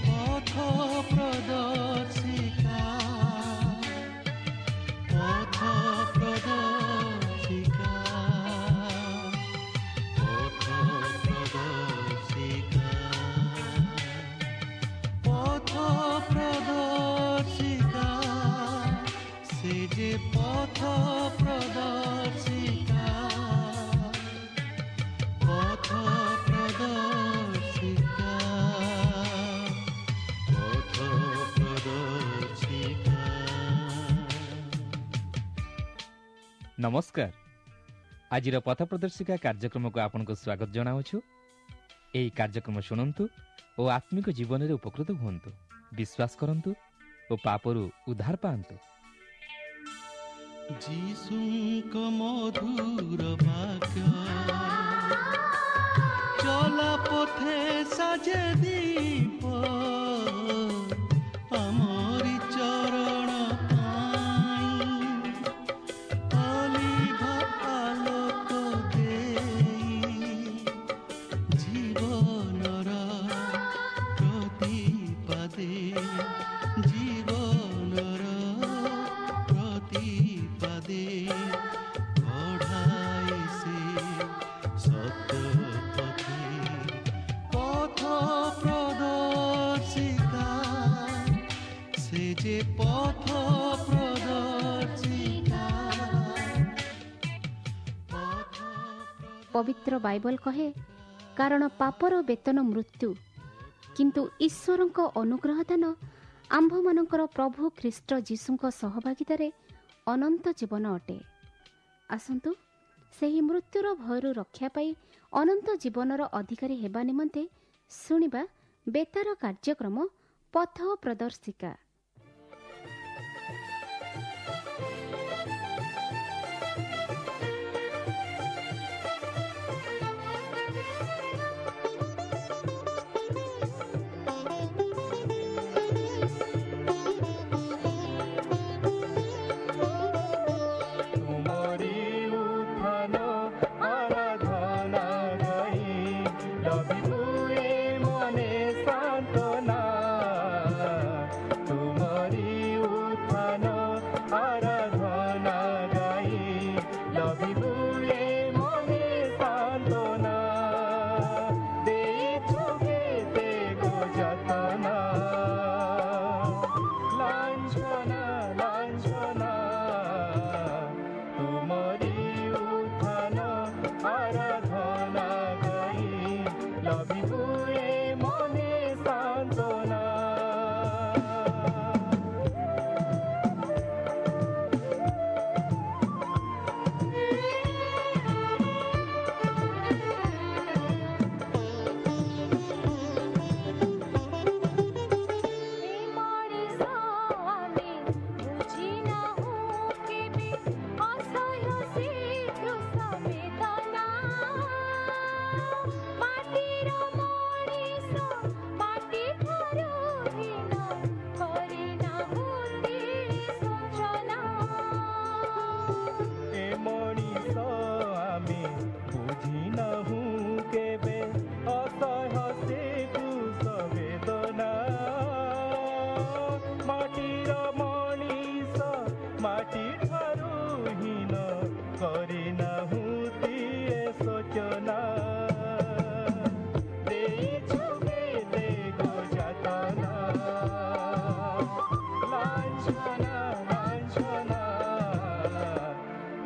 ପଥ ପ୍ରଦର୍ଶିକା, ପଥ ପ୍ରଦର୍ଶିକା, ପଥ ପ୍ରଦର୍ଶିକା, ପଥ ପ୍ରଦର୍ଶିକା, ସେ ଯେ ପଥ ପ୍ରଦର୍ଶିକା, ପଥ ପ୍ରଦର୍ଶିକା, ପଥ ପ୍ରଦର୍ଶିକା। ନମସ୍କାର। ଆଜିର ପଥ ପ୍ରଦର୍ଶିକା କାର୍ଯ୍ୟକ୍ରମକୁ ଆପଣଙ୍କୁ ସ୍ୱାଗତ ଜଣାଉଛୁ। ଏହି କାର୍ଯ୍ୟକ୍ରମ ଶୁଣନ୍ତୁ ଓ ଆତ୍ମିକ ଜୀବନରେ ଉପକୃତ ହୁଅନ୍ତୁ, ବିଶ୍ୱାସ କରନ୍ତୁ ଓ ପାପରୁ ଉଦ୍ଧାର ପାଆନ୍ତୁ। ଯୀଶୁଙ୍କ ମଧୁର ବାକ୍ୟ ଚଲା ପଥେ ସାଜେ ଦୀପ, ଆମରି ଚରଣ ପାଇଁ ଅଲିଭ ଆଲୋକ ଦେଇ, ଜୀବନର ପ୍ରତିପାଦେ, ଜୀବନର ପ୍ରତିପାଦେ କଢ଼ାଏ ସେ ସତ୍ୟ ପଥେ। ପଥ ପ୍ରଦର୍ଶିକା, ସେ ଯେ ପଥ ପ୍ରଦର୍ଶିକା, ପଥ ପବିତ୍ର ବାଇବଲ କହେ, କାରଣ ପାପର ବେତନ ମୃତ୍ୟୁ, କିନ୍ତୁ ଈଶ୍ୱରଙ୍କ ଅନୁଗ୍ରହ ଦାନ ଆମ୍ଭମାନଙ୍କର ପ୍ରଭୁ ଖ୍ରୀଷ୍ଟ ଯୀଶୁଙ୍କ ସହଭାଗିତାରେ ଅନନ୍ତ ଜୀବନ ଅଟେ। ଆସନ୍ତୁ ସେହି ମୃତ୍ୟୁର ଭୟରୁ ରକ୍ଷା ପାଇ ଅନନ୍ତ ଜୀବନର ଅଧିକାରୀ ହେବା ନିମନ୍ତେ ଶୁଣିବା ବେତାର କାର୍ଯ୍ୟକ୍ରମ ପଥ ପ୍ରଦର୍ଶିକା। ତୁମରି ଉତ୍ଥାନ ଆରାଧନା ଗାଇ ଲଭିବୁ ଏ ମନେ ସାନ୍ତ୍ୱନା। ତୁମରି ଉତ୍ଥାନ ଆରାଧନା ଗାଇ ଲଭିବୁ ଏ ମନେ ସାନ୍ତ୍ୱନା। ଦେଇଛୁ କେତେ ଗୋ ଯାତନା, ଲାଞ୍ଛନା ଲାଞ୍ଛନା। ତୁମରି ଉତ୍ଥାନ ଆରାଧନା ଗାଇ ଲଭିବୁ ଏ ମନେ ସାନ୍ତ୍ୱନା। ଏ ମଣିଷ ଆମେ ବୁଝି ନାହୁଁ କେବେ ଅସହ୍ୟ ସେ କ୍ରୁଶ ବେଦନା। ମାଟିର ମଣିଷ ମାଟି ଠାରୁ ହୀନ, କରିନାହୁଁ ତିଳେ ଶୋଚନା। ଏ ମଣିଷ ଆମେ ବୁଝି ନାହୁଁ କେବେ ଅସହ୍ୟ ସେ କ୍ରୁଶ ବେଦନା। ମାଟିର ମଣିଷ ମାଟି ଠାରୁ ହୀନ, କରିନାହୁଁ ତିଳେ ଶୋଚନା। ଦେଇଛୁ କେତେ ଗୋ ଯାତନା, ଲାଞ୍ଛନା ଲାଞ୍ଛନା।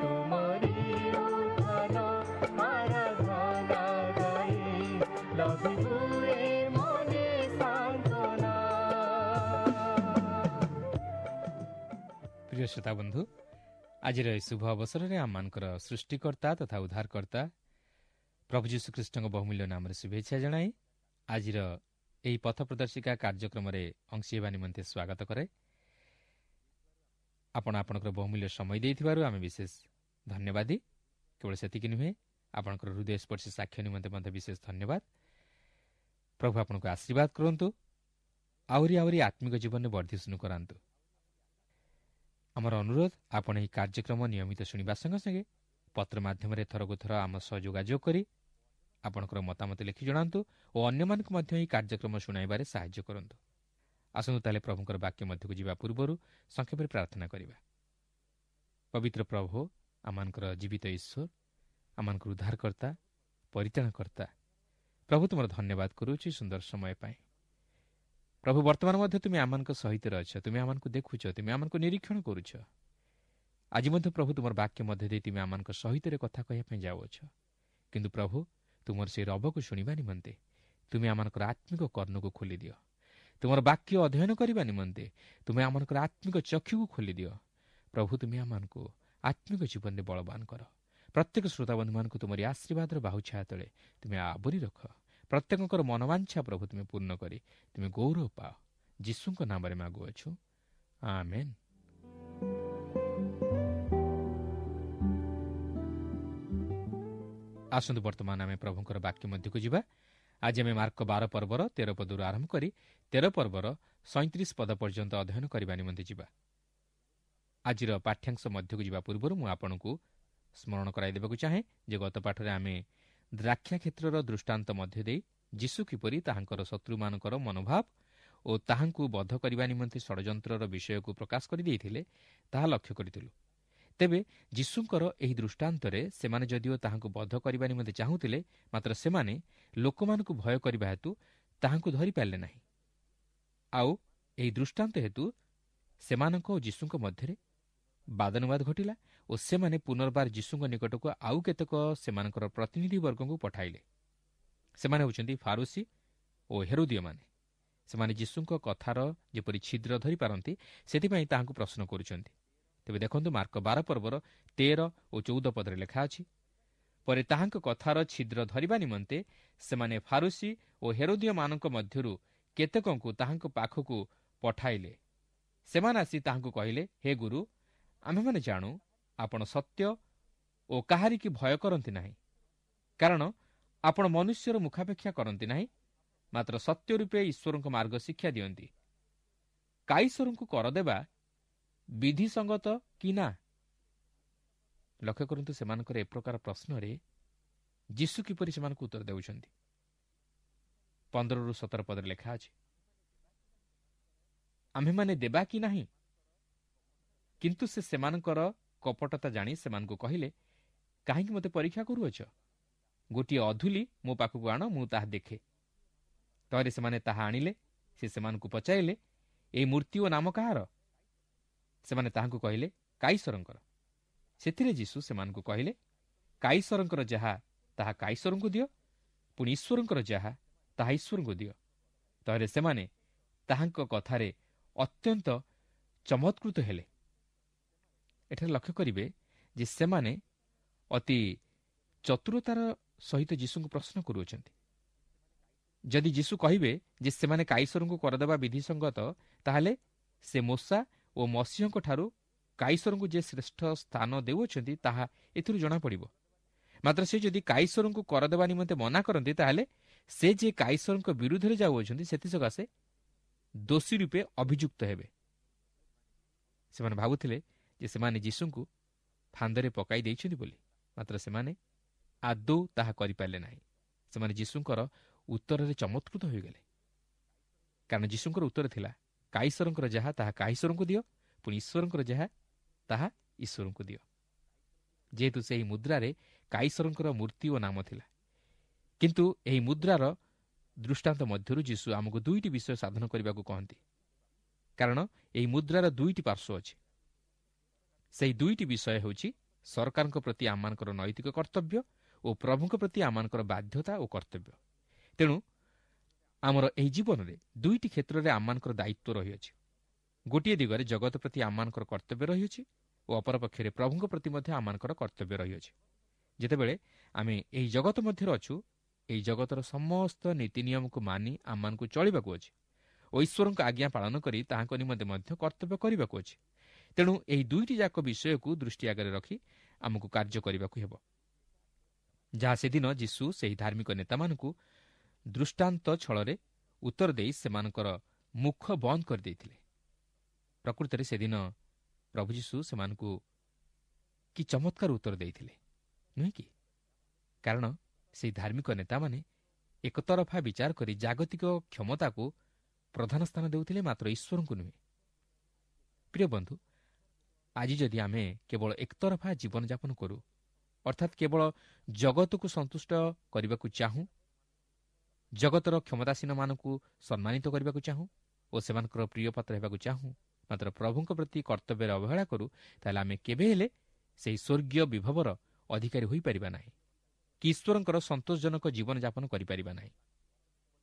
ତୁମରି ଉତ୍ଥାନ ଆରାଧନା ଗାଇ ଲଭିବୁ ଏ ମନେ ସାନ୍ତ୍ୱନା। ପ୍ରିୟ ଶ୍ରୋତା ବନ୍ଧୁ, ଆଜିର ଏହି ଶୁଭ ଅବସରରେ ଆମମାନଙ୍କର ସୃଷ୍ଟିକର୍ତ୍ତା ତଥା ଉଦ୍ଧାରକର୍ତ୍ତା ପ୍ରଭୁ ଯୀଶୁଖ୍ରୀଷ୍ଟଙ୍କ ବହୁମୂଲ୍ୟ ନାମରେ ଶୁଭେଚ୍ଛା ଜଣାଇ ଆଜିର ଏହି ପଥ ପ୍ରଦର୍ଶିକା କାର୍ଯ୍ୟକ୍ରମରେ ଅଂଶୀ ହେବା ନିମନ୍ତେ ସ୍ୱାଗତ କରେ। ଆପଣ ଆପଣଙ୍କର ବହୁମୂଲ୍ୟ ସମୟ ଦେଇଥିବାରୁ ଆମେ ବିଶେଷ ଧନ୍ୟବାଦୀ। କେବଳ ସେତିକି ନୁହେଁ, ଆପଣଙ୍କର ହୃଦୟସ୍ପର୍ଶୀ ସାକ୍ଷ୍ୟ ନିମନ୍ତେ ମଧ୍ୟ ବିଶେଷ ଧନ୍ୟବାଦ। ପ୍ରଭୁ ଆପଣଙ୍କୁ ଆଶୀର୍ବାଦ କରନ୍ତୁ, ଆହୁରି ଆହୁରି ଆତ୍ମିକ ଜୀବନରେ ବର୍ଦ୍ଧିଷ୍ଣୁ କରାନ୍ତୁ। ଆମର ଅନୁରୋଧ, ଆପଣ ଏହି କାର୍ଯ୍ୟକ୍ରମ ନିୟମିତ ଶୁଣିବା ସଙ୍ଗେ ସଙ୍ଗେ ପତ୍ର ମାଧ୍ୟମରେ ଥରକୁ ଥର ଆମ ସହ ଯୋଗାଯୋଗ କରି ଆପଣଙ୍କର ମତାମତ ଲେଖି ଜଣାନ୍ତୁ ଓ ଅନ୍ୟମାନଙ୍କୁ ମଧ୍ୟ ଏହି କାର୍ଯ୍ୟକ୍ରମ ଶୁଣାଇବାରେ ସାହାଯ୍ୟ କରନ୍ତୁ। ଆସନ୍ତୁ ତାହେଲେ ପ୍ରଭୁଙ୍କର ବାକ୍ୟ ମଧ୍ୟକୁ ଯିବା ପୂର୍ବରୁ ସଂକ୍ଷେପରେ ପ୍ରାର୍ଥନା କରିବା। ପବିତ୍ର ପ୍ରଭୁ, ଆମମାନଙ୍କର ଜୀବିତ ଈଶ୍ୱର, ଆମମାନଙ୍କର ଉଦ୍ଧାରକର୍ତ୍ତା, ପରିତ୍ରାଣକର୍ତ୍ତା ପ୍ରଭୁ, ତୁମର ଧନ୍ୟବାଦ କରୁଛି ସୁନ୍ଦର ସମୟ ପାଇଁ। ପ୍ରଭୁ, ବର୍ତ୍ତମାନ ମଧ୍ୟ ତୁମେ ଆମମାନଙ୍କ ସହିତ ଅଛ, ତୁମେ ଆମମାନଙ୍କୁ ଦେଖୁଛ, ତୁମେ ଆମମାନଙ୍କୁ ନିରୀକ୍ଷଣ କରୁଛ। ଆଜି ମଧ୍ୟ ପ୍ରଭୁ ତୁମର ବାକ୍ୟ ମଧ୍ୟ ଦେଇ ତୁମେ ଆମମାନଙ୍କ ସହିତ କଥା କହିବା ପାଇଁ ଯାଉଅଛ। କିନ୍ତୁ ପ୍ରଭୁ, ତୁମର ସେହି ରବକୁ ଶୁଣିବା ନିମନ୍ତେ ତୁମେ ଆମମାନଙ୍କର ଆତ୍ମିକ କର୍ଣ୍ଣକୁ ଖୋଲିଦିଅ। ତୁମର ବାକ୍ୟ ଅଧ୍ୟୟନ କରିବା ନିମନ୍ତେ ତୁମେ ଆମମାନଙ୍କର ଆତ୍ମିକ ଚକ୍ଷୁକୁ ଖୋଲିଦିଅ। ପ୍ରଭୁ, ତୁମେ ଆମମାନଙ୍କୁ ଆତ୍ମିକ ଜୀବନରେ ବଳବାନ କର। ପ୍ରତ୍ୟେକ ଶ୍ରୋତାବନ୍ଧୁମାନଙ୍କୁ ତୁମରି ଆଶୀର୍ବାଦର ବାହୁ ଛାୟା ତଳେ ତୁମେ ଆବୋରି ରଖ। ପ୍ରତ୍ୟେକଙ୍କର ମନୋବାଞ୍ଛା ପ୍ରଭୁ ତୁମେ ପୂର୍ଣ୍ଣ କରି ତୁମେ ଗୌରବ ପାଅ। ଯୀଶୁଙ୍କ ନାମରେ ମାଗୁଅଛୁ, ଆମେନ୍। ଆସନ୍ତୁ ବର୍ତ୍ତମାନ ଆମେ ପ୍ରଭୁଙ୍କର ବାକ୍ୟ ମଧ୍ୟକୁ ଯିବା। ଆଜି ଆମେ ମାର୍କ 12 ପର୍ବର 13 ପଦରୁ ଆରମ୍ଭ କରି 13 ପର୍ବର 37 ପଦ ପର୍ଯ୍ୟନ୍ତ ଅଧ୍ୟୟନ କରିବା ନିମନ୍ତେ ଯିବା। ଆଜିର ପାଠ୍ୟାଂଶ ମଧ୍ୟକୁ ଯିବା ପୂର୍ବରୁ ମୁଁ ଆପଣଙ୍କୁ ସ୍ମରଣ କରାଇଦେବାକୁ ଚାହେଁ ଯେ ଗତ ପାଠରେ ଆମେ ଦ୍ରାକ୍ଷା କ୍ଷେତ୍ରର ଦୃଷ୍ଟାନ୍ତ ମଧ୍ୟ ଦେଇ ଯୀଶୁ କିପରି ତାହାଙ୍କର ଶତ୍ରୁମାନଙ୍କର ମନୋଭାବ ଓ ତାହାଙ୍କୁ ବଧ କରିବା ନିମନ୍ତେ ଷଡ଼ଯନ୍ତ୍ରର ବିଷୟକୁ ପ୍ରକାଶ କରିଦେଇଥିଲେ ତାହା ଲକ୍ଷ୍ୟ କରିଥିଲୁ। ତେବେ ଯୀଶୁଙ୍କର ଏହି ଦୃଷ୍ଟାନ୍ତରେ ସେମାନେ ଯଦିଓ ତାହାଙ୍କୁ ବଧ କରିବା ନିମନ୍ତେ ଚାହୁଁଥିଲେ, ମାତ୍ର ସେମାନେ ଲୋକମାନଙ୍କୁ ଭୟ କରିବା ହେତୁ ତାହାଙ୍କୁ ଧରିପାରିଲେ ନାହିଁ। ଆଉ ଏହି ଦୃଷ୍ଟାନ୍ତ ହେତୁ ସେମାନଙ୍କ ଓ ଯୀଶୁଙ୍କ ମଧ୍ୟରେ ବାଦାନୁବାଦ ଘଟିଲା ଓ ସେମାନେ ପୁନର୍ବାର ଯୀଶୁଙ୍କ ନିକଟକୁ ଆଉ କେତେକ ସେମାନଙ୍କର ପ୍ରତିନିଧିବର୍ଗଙ୍କୁ ପଠାଇଲେ। ସେମାନେ ହେଉଛନ୍ତି ଫାରୁସୀ ଓ ହେରୋଦୀୟମାନେ। ସେମାନେ ଯୀଶୁଙ୍କ କଥାର ଯେପରି ଛିଦ୍ର ଧରିପାରନ୍ତି ସେଥିପାଇଁ ତାହାଙ୍କୁ ପ୍ରଶ୍ନ କରୁଛନ୍ତି। ତେବେ ଦେଖନ୍ତୁ ମାର୍କ 12 ପର୍ବର 13 ଓ 14 ପଦରେ ଲେଖା ଅଛି, ପରେ ତାହାଙ୍କ କଥାର ଛିଦ୍ର ଧରିବା ନିମନ୍ତେ ସେମାନେ ଫାରୁସୀ ଓ ହେରୋଦୀୟମାନଙ୍କ ମଧ୍ୟରୁ କେତେକଙ୍କୁ ତାହାଙ୍କ ପାଖକୁ ପଠାଇଲେ। ସେମାନେ ଆସି ତାହାଙ୍କୁ କହିଲେ, ହେ ଗୁରୁ, ଆମ୍ଭେମାନେ ଜାଣୁ ଆପଣ ସତ୍ୟ ଓ କାହାରିକି ଭୟ କରନ୍ତି ନାହିଁ, କାରଣ ଆପଣ ମନୁଷ୍ୟର ମୁଖାପେକ୍ଷା କରନ୍ତି ନାହିଁ, ମାତ୍ର ସତ୍ୟ ରୂପେ ଈଶ୍ୱରଙ୍କ ମାର୍ଗ ଶିକ୍ଷା ଦିଅନ୍ତି। କାଇସରଙ୍କୁ କର ଦେବା ବିଧିସଙ୍ଗତ କି ନା? ଲକ୍ଷ୍ୟ କରନ୍ତୁ ସେମାନଙ୍କର ଏ ପ୍ରକାର ପ୍ରଶ୍ନରେ ଯୀଶୁ କିପରି ସେମାନଙ୍କୁ ଉତ୍ତର ଦେଉଛନ୍ତି। 15ରୁ 17 ପଦରେ ଲେଖା ଅଛି, ଆମ୍ଭେମାନେ ଦେବା କି ନାହିଁ? କିନ୍ତୁ ସେ ସେମାନଙ୍କର କପଟତା ଜାଣି ସେମାନଙ୍କୁ କହିଲେ, କାହିଁକି ମୋତେ ପରୀକ୍ଷା କରୁଅଛ? ଗୋଟିଏ ଅଧୁଲି ମୋ ପାଖକୁ ଆଣ, ମୁଁ ତାହା ଦେଖେ। ତହିଁରେ ସେମାନେ ତାହା ଆଣିଲେ। ସେ ସେମାନଙ୍କୁ ପଚାରିଲେ, ଏହି ମୂର୍ତ୍ତି ଓ ନାମ କାହାର? ସେମାନେ ତାହାଙ୍କୁ କହିଲେ, କାଇସରଙ୍କର। ସେଥିରେ ଯୀଶୁ ସେମାନଙ୍କୁ କହିଲେ, କାଇସରଙ୍କର ଯାହା ତାହା କାଇସରଙ୍କୁ ଦିଅ, ପୁଣି ଈଶ୍ୱରଙ୍କର ଯାହା ତାହା ଈଶ୍ୱରଙ୍କୁ ଦିଅ। ତହିଁରେ ସେମାନେ ତାହାଙ୍କ କଥାରେ ଅତ୍ୟନ୍ତ ଚମତ୍କୃତ ହେଲେ। ଏଠାରେ ଲକ୍ଷ୍ୟ କରିବେ ଯେ ସେମାନେ ଅତି ଚତୁରତାର ସହିତ ଯୀଶୁଙ୍କୁ ପ୍ରଶ୍ନ କରୁଅଛନ୍ତି। ଯଦି ଯୀଶୁ କହିବେ ଯେ ସେମାନେ କାଇସରଙ୍କୁ କରଦେବା ବିଧିସଙ୍ଗତ, ତାହେଲେ ସେ ମୋଶା ଓ ମସିହଙ୍କଠାରୁ କାଇସରଙ୍କୁ ଯେ ଶ୍ରେଷ୍ଠ ସ୍ଥାନ ଦେଉଅଛନ୍ତି ତାହା ଏଥିରୁ ଜଣାପଡ଼ିବ। ମାତ୍ର ସେ ଯଦି କାଇସରଙ୍କୁ କରଦେବା ନିମନ୍ତେ ମନା କରନ୍ତି, ତାହେଲେ ସେ ଯେ କାଇସରଙ୍କ ବିରୁଦ୍ଧରେ ଯାଉଅଛନ୍ତି ସେଥିସକାଶେ ଦୋଷୀ ରୂପେ ଅଭିଯୁକ୍ତ ହେବେ। ସେମାନେ ଭାବୁଥିଲେ ଯେ ସେମାନେ ଯୀଶୁଙ୍କୁ ଫାନ୍ଦରେ ପକାଇ ଦେଇଛନ୍ତି ବୋଲି, ମାତ୍ର ସେମାନେ ଆଦୌ ତାହା କରିପାରିଲେ ନାହିଁ। ସେମାନେ ଯୀଶୁଙ୍କର ଉତ୍ତରରେ ଚମତ୍କୃତ ହୋଇଗଲେ, କାରଣ ଯୀଶୁଙ୍କର ଉତ୍ତର ଥିଲା, କାଇସରଙ୍କର ଯାହା ତାହା କାଇସରଙ୍କୁ ଦିଅ, ପୁଣି ଈଶ୍ୱରଙ୍କର ଯାହା ତାହା ଈଶ୍ୱରଙ୍କୁ ଦିଅ। ଯେହେତୁ ସେହି ମୁଦ୍ରାରେ କାଇସରଙ୍କର ମୂର୍ତ୍ତି ଓ ନାମ ଥିଲା, କିନ୍ତୁ ଏହି ମୁଦ୍ରାର ଦୃଷ୍ଟାନ୍ତ ମଧ୍ୟରୁ ଯୀଶୁ ଆମକୁ ଦୁଇଟି ବିଷୟ ସାଧନ କରିବାକୁ କହନ୍ତି, କାରଣ ଏହି ମୁଦ୍ରାର ଦୁଇଟି ପାର୍ଶ୍ୱ ଅଛି। ସେହି ଦୁଇଟି ବିଷୟ ହେଉଛି ସରକାରଙ୍କ ପ୍ରତି ଆମମାନଙ୍କର ନୈତିକ କର୍ତ୍ତବ୍ୟ ଓ ପ୍ରଭୁଙ୍କ ପ୍ରତି ଆମମାନଙ୍କର ବାଧ୍ୟତା ଓ କର୍ତ୍ତବ୍ୟ। ତେଣୁ ଆମର ଏହି ଜୀବନରେ ଦୁଇଟି କ୍ଷେତ୍ରରେ ଆମମାନଙ୍କର ଦାୟିତ୍ୱ ରହିଅଛି। ଗୋଟିଏ ଦିଗରେ ଜଗତ ପ୍ରତି ଆମମାନଙ୍କର କର୍ତ୍ତବ୍ୟ ରହିଅଛି ଓ ଅପରପକ୍ଷରେ ପ୍ରଭୁଙ୍କ ପ୍ରତି ମଧ୍ୟ ଆମମାନଙ୍କର କର୍ତ୍ତବ୍ୟ ରହିଅଛି। ଯେତେବେଳେ ଆମେ ଏହି ଜଗତ ମଧ୍ୟରେ ଅଛୁ, ଏହି ଜଗତର ସମସ୍ତ ନୀତି ନିୟମକୁ ମାନି ଆମମାନଙ୍କୁ ଚଳିବାକୁ ଅଛି ଓ ଈଶ୍ୱରଙ୍କ ଆଜ୍ଞା ପାଳନ କରି ତାହାଙ୍କ ନିମନ୍ତେ ମଧ୍ୟ କର୍ତ୍ତବ୍ୟ କରିବାକୁ ଅଛି। ତେଣୁ ଏହି ଦୁଇଟି ଯାକ ବିଷୟକୁ ଦୃଷ୍ଟି ଆଗରେ ରଖି ଆମକୁ କାର୍ଯ୍ୟ କରିବାକୁ ହେବ, ଯାହା ସେଦିନ ଯୀଶୁ ସେହି ଧାର୍ମିକ ନେତାମାନଙ୍କୁ ଦୃଷ୍ଟାନ୍ତ ଛଳରେ ଉତ୍ତର ଦେଇ ସେମାନଙ୍କର ମୁଖ ବନ୍ଦ କରିଦେଇଥିଲେ। ପ୍ରକୃତରେ ସେଦିନ ପ୍ରଭୁ ଯୀଶୁ ସେମାନଙ୍କୁ କି ଚମତ୍କାର ଉତ୍ତର ଦେଇଥିଲେ, ନୁହେଁ କି? କାରଣ ସେହି ଧାର୍ମିକ ନେତାମାନେ ଏକତରଫା ବିଚାର କରି ଜାଗତିକ କ୍ଷମତାକୁ ପ୍ରଧାନ ସ୍ଥାନ ଦେଉଥିଲେ, ମାତ୍ର ଈଶ୍ୱରଙ୍କୁ ନୁହେଁ। ପ୍ରିୟ ବନ୍ଧୁ, ଆଜି ଯଦି ଆମେ କେବଳ ଏକତରଫା ଜୀବନଯାପନ କରୁ, ଅର୍ଥାତ୍ କେବଳ ଜଗତକୁ ସନ୍ତୁଷ୍ଟ କରିବାକୁ ଚାହୁଁ, ଜଗତର କ୍ଷମତାସୀନମାନଙ୍କୁ ସମ୍ମାନିତ କରିବାକୁ ଚାହୁଁ ଓ ସେମାନଙ୍କର ପ୍ରିୟପାତ୍ର ହେବାକୁ ଚାହୁଁ, ମାତ୍ର ପ୍ରଭୁଙ୍କ ପ୍ରତି କର୍ତ୍ତବ୍ୟରେ ଅବହେଳା କରୁ, ତାହେଲେ ଆମେ କେବେ ହେଲେ ସେହି ସ୍ୱର୍ଗୀୟ ବିଭବର ଅଧିକାରୀ ହୋଇପାରିବା ନାହିଁ କି ଈଶ୍ୱରଙ୍କର ସନ୍ତୋଷଜନକ ଜୀବନଯାପନ କରିପାରିବା ନାହିଁ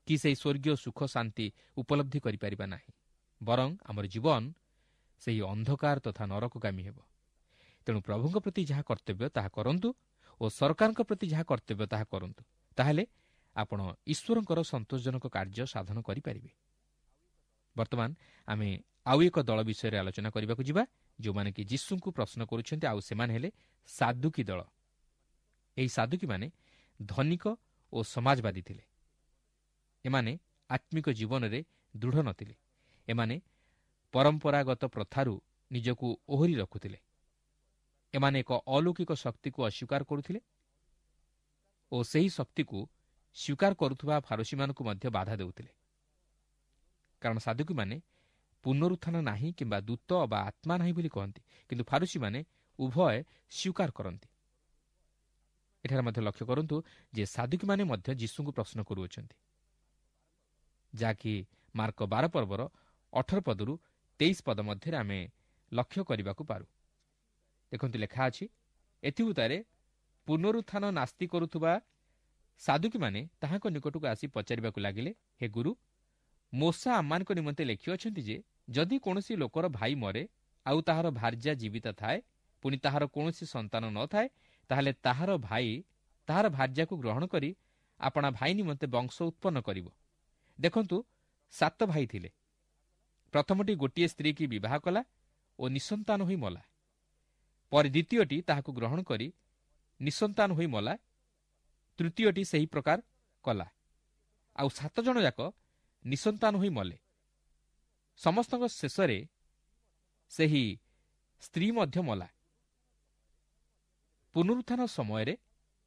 କି ସେହି ସ୍ୱର୍ଗୀୟ ସୁଖ ଶାନ୍ତି ଉପଲବ୍ଧି କରିପାରିବା ନାହିଁ। ବରଂ ଆମର ଜୀବନ ସେହି ଅନ୍ଧକାର ତଥା ନରକଗାମୀ ହେବ। ତେଣୁ ପ୍ରଭୁଙ୍କ ପ୍ରତି ଯାହା କର୍ତ୍ତବ୍ୟ ତାହା କରନ୍ତୁ ଓ ସରକାରଙ୍କ ପ୍ରତି ଯାହା କର୍ତ୍ତବ୍ୟ ତାହା କରନ୍ତୁ, ତାହେଲେ ଆପଣ ଈଶ୍ୱରଙ୍କର ସନ୍ତୋଷଜନକ କାର୍ଯ୍ୟ ସାଧନ କରିପାରିବେ। ବର୍ତ୍ତମାନ ଆମେ ଆଉ ଏକ ଦଳ ବିଷୟରେ ଆଲୋଚନା କରିବାକୁ ଯିବା, ଯେଉଁମାନେ କି ଯୀଶୁଙ୍କୁ ପ୍ରଶ୍ନ କରୁଛନ୍ତି, ଆଉ ସେମାନେ ହେଲେ ସାଦୁକୀ ଦଳ। ଏହି ସାଦୁକୀମାନେ ଧନିକ ଓ ସମାଜବାଦୀ ଥିଲେ। ଏମାନେ ଆତ୍ମିକ ଜୀବନରେ ଦୃଢ଼ ନଥିଲେ। ଏମାନେ ପରମ୍ପରାଗତ ପ୍ରଥାରୁ ନିଜକୁ ଓହରି ରଖୁଥିଲେ। ଏମାନେ ଏକ ଅଲୌକିକ ଶକ୍ତିକୁ ଅସ୍ୱୀକାର କରୁଥିଲେ ଓ ସେହି ଶକ୍ତିକୁ ସ୍ୱୀକାର କରୁଥିବା ଫାରୁସୀମାନଙ୍କୁ ମଧ୍ୟ ବାଧା ଦେଉଥିଲେ। କାରଣ ସାଦୁକୀମାନେ ପୁନରୁତ୍ଥାନ ନାହିଁ କିମ୍ବା ଦୂତ ବା ଆତ୍ମା ନାହିଁ ବୋଲି କହନ୍ତି, କିନ୍ତୁ ଫାରୁସୀମାନେ ଉଭୟ ସ୍ୱୀକାର କରନ୍ତି। ଏଠାରେ ମଧ୍ୟ ଲକ୍ଷ୍ୟ କରନ୍ତୁ ଯେ ସାଦୁକୀମାନେ ମଧ୍ୟ ଯୀଶୁଙ୍କୁ ପ୍ରଶ୍ନ କରୁଅଛନ୍ତି, ଯାହାକି ମାର୍କ 12 ପର୍ବର 18 ପଦରୁ 23 ପଦ ମଧ୍ୟରେ ଆମେ ଲକ୍ଷ୍ୟ କରିବାକୁ ପାରୁ। ଦେଖନ୍ତୁ, ଲେଖା ଅଛି, ଏଥିଉତ୍ତାରେ ପୁନରୁତ୍ଥାନ ନାସ୍ତି କରୁଥିବା ସାଦୁକୀମାନେ ତାହାଙ୍କ ନିକଟକୁ ଆସି ପଚାରିବାକୁ ଲାଗିଲେ, ହେ ଗୁରୁ, ମୋଶା ଆମମାନଙ୍କ ନିମନ୍ତେ ଲେଖିଅଛନ୍ତି ଯେ ଯଦି କୌଣସି ଲୋକର ଭାଇ ମରେ ଆଉ ତାହାର ଭାର୍ଯ୍ୟା ଜୀବିତ ଥାଏ, ପୁଣି ତାହାର କୌଣସି ସନ୍ତାନ ନଥାଏ, ତାହେଲେ ତାହାର ଭାଇ ତାହାର ଭାର୍ଯ୍ୟାକୁ ଗ୍ରହଣ କରି ଆପଣା ଭାଇ ନିମନ୍ତେ ବଂଶ ଉତ୍ପନ୍ନ କରିବ। ଦେଖନ୍ତୁ, 7 ଭାଇ ଥିଲେ। ପ୍ରଥମଟି ଗୋଟିଏ ସ୍ତ୍ରୀକି ବିବାହ କଲା ଓ ନିଃସନ୍ତାନ ହୋଇ ମଲା। ପରେ ଦ୍ୱିତୀୟଟି ତାହାକୁ ଗ୍ରହଣ କରି ନିଃସନ୍ତାନ ହୋଇ ମଲା। ତୃତୀୟଟି ସେହି ପ୍ରକାର କଲା। ଆଉ 7 ଜଣ ଯାକ ନିଃସନ୍ତାନ ହୋଇ ମଲେ। ସମସ୍ତଙ୍କ ଶେଷରେ ସେହି ସ୍ତ୍ରୀ ମଧ୍ୟ ମଲା। ପୁନରୁତ୍ଥାନ ସମୟରେ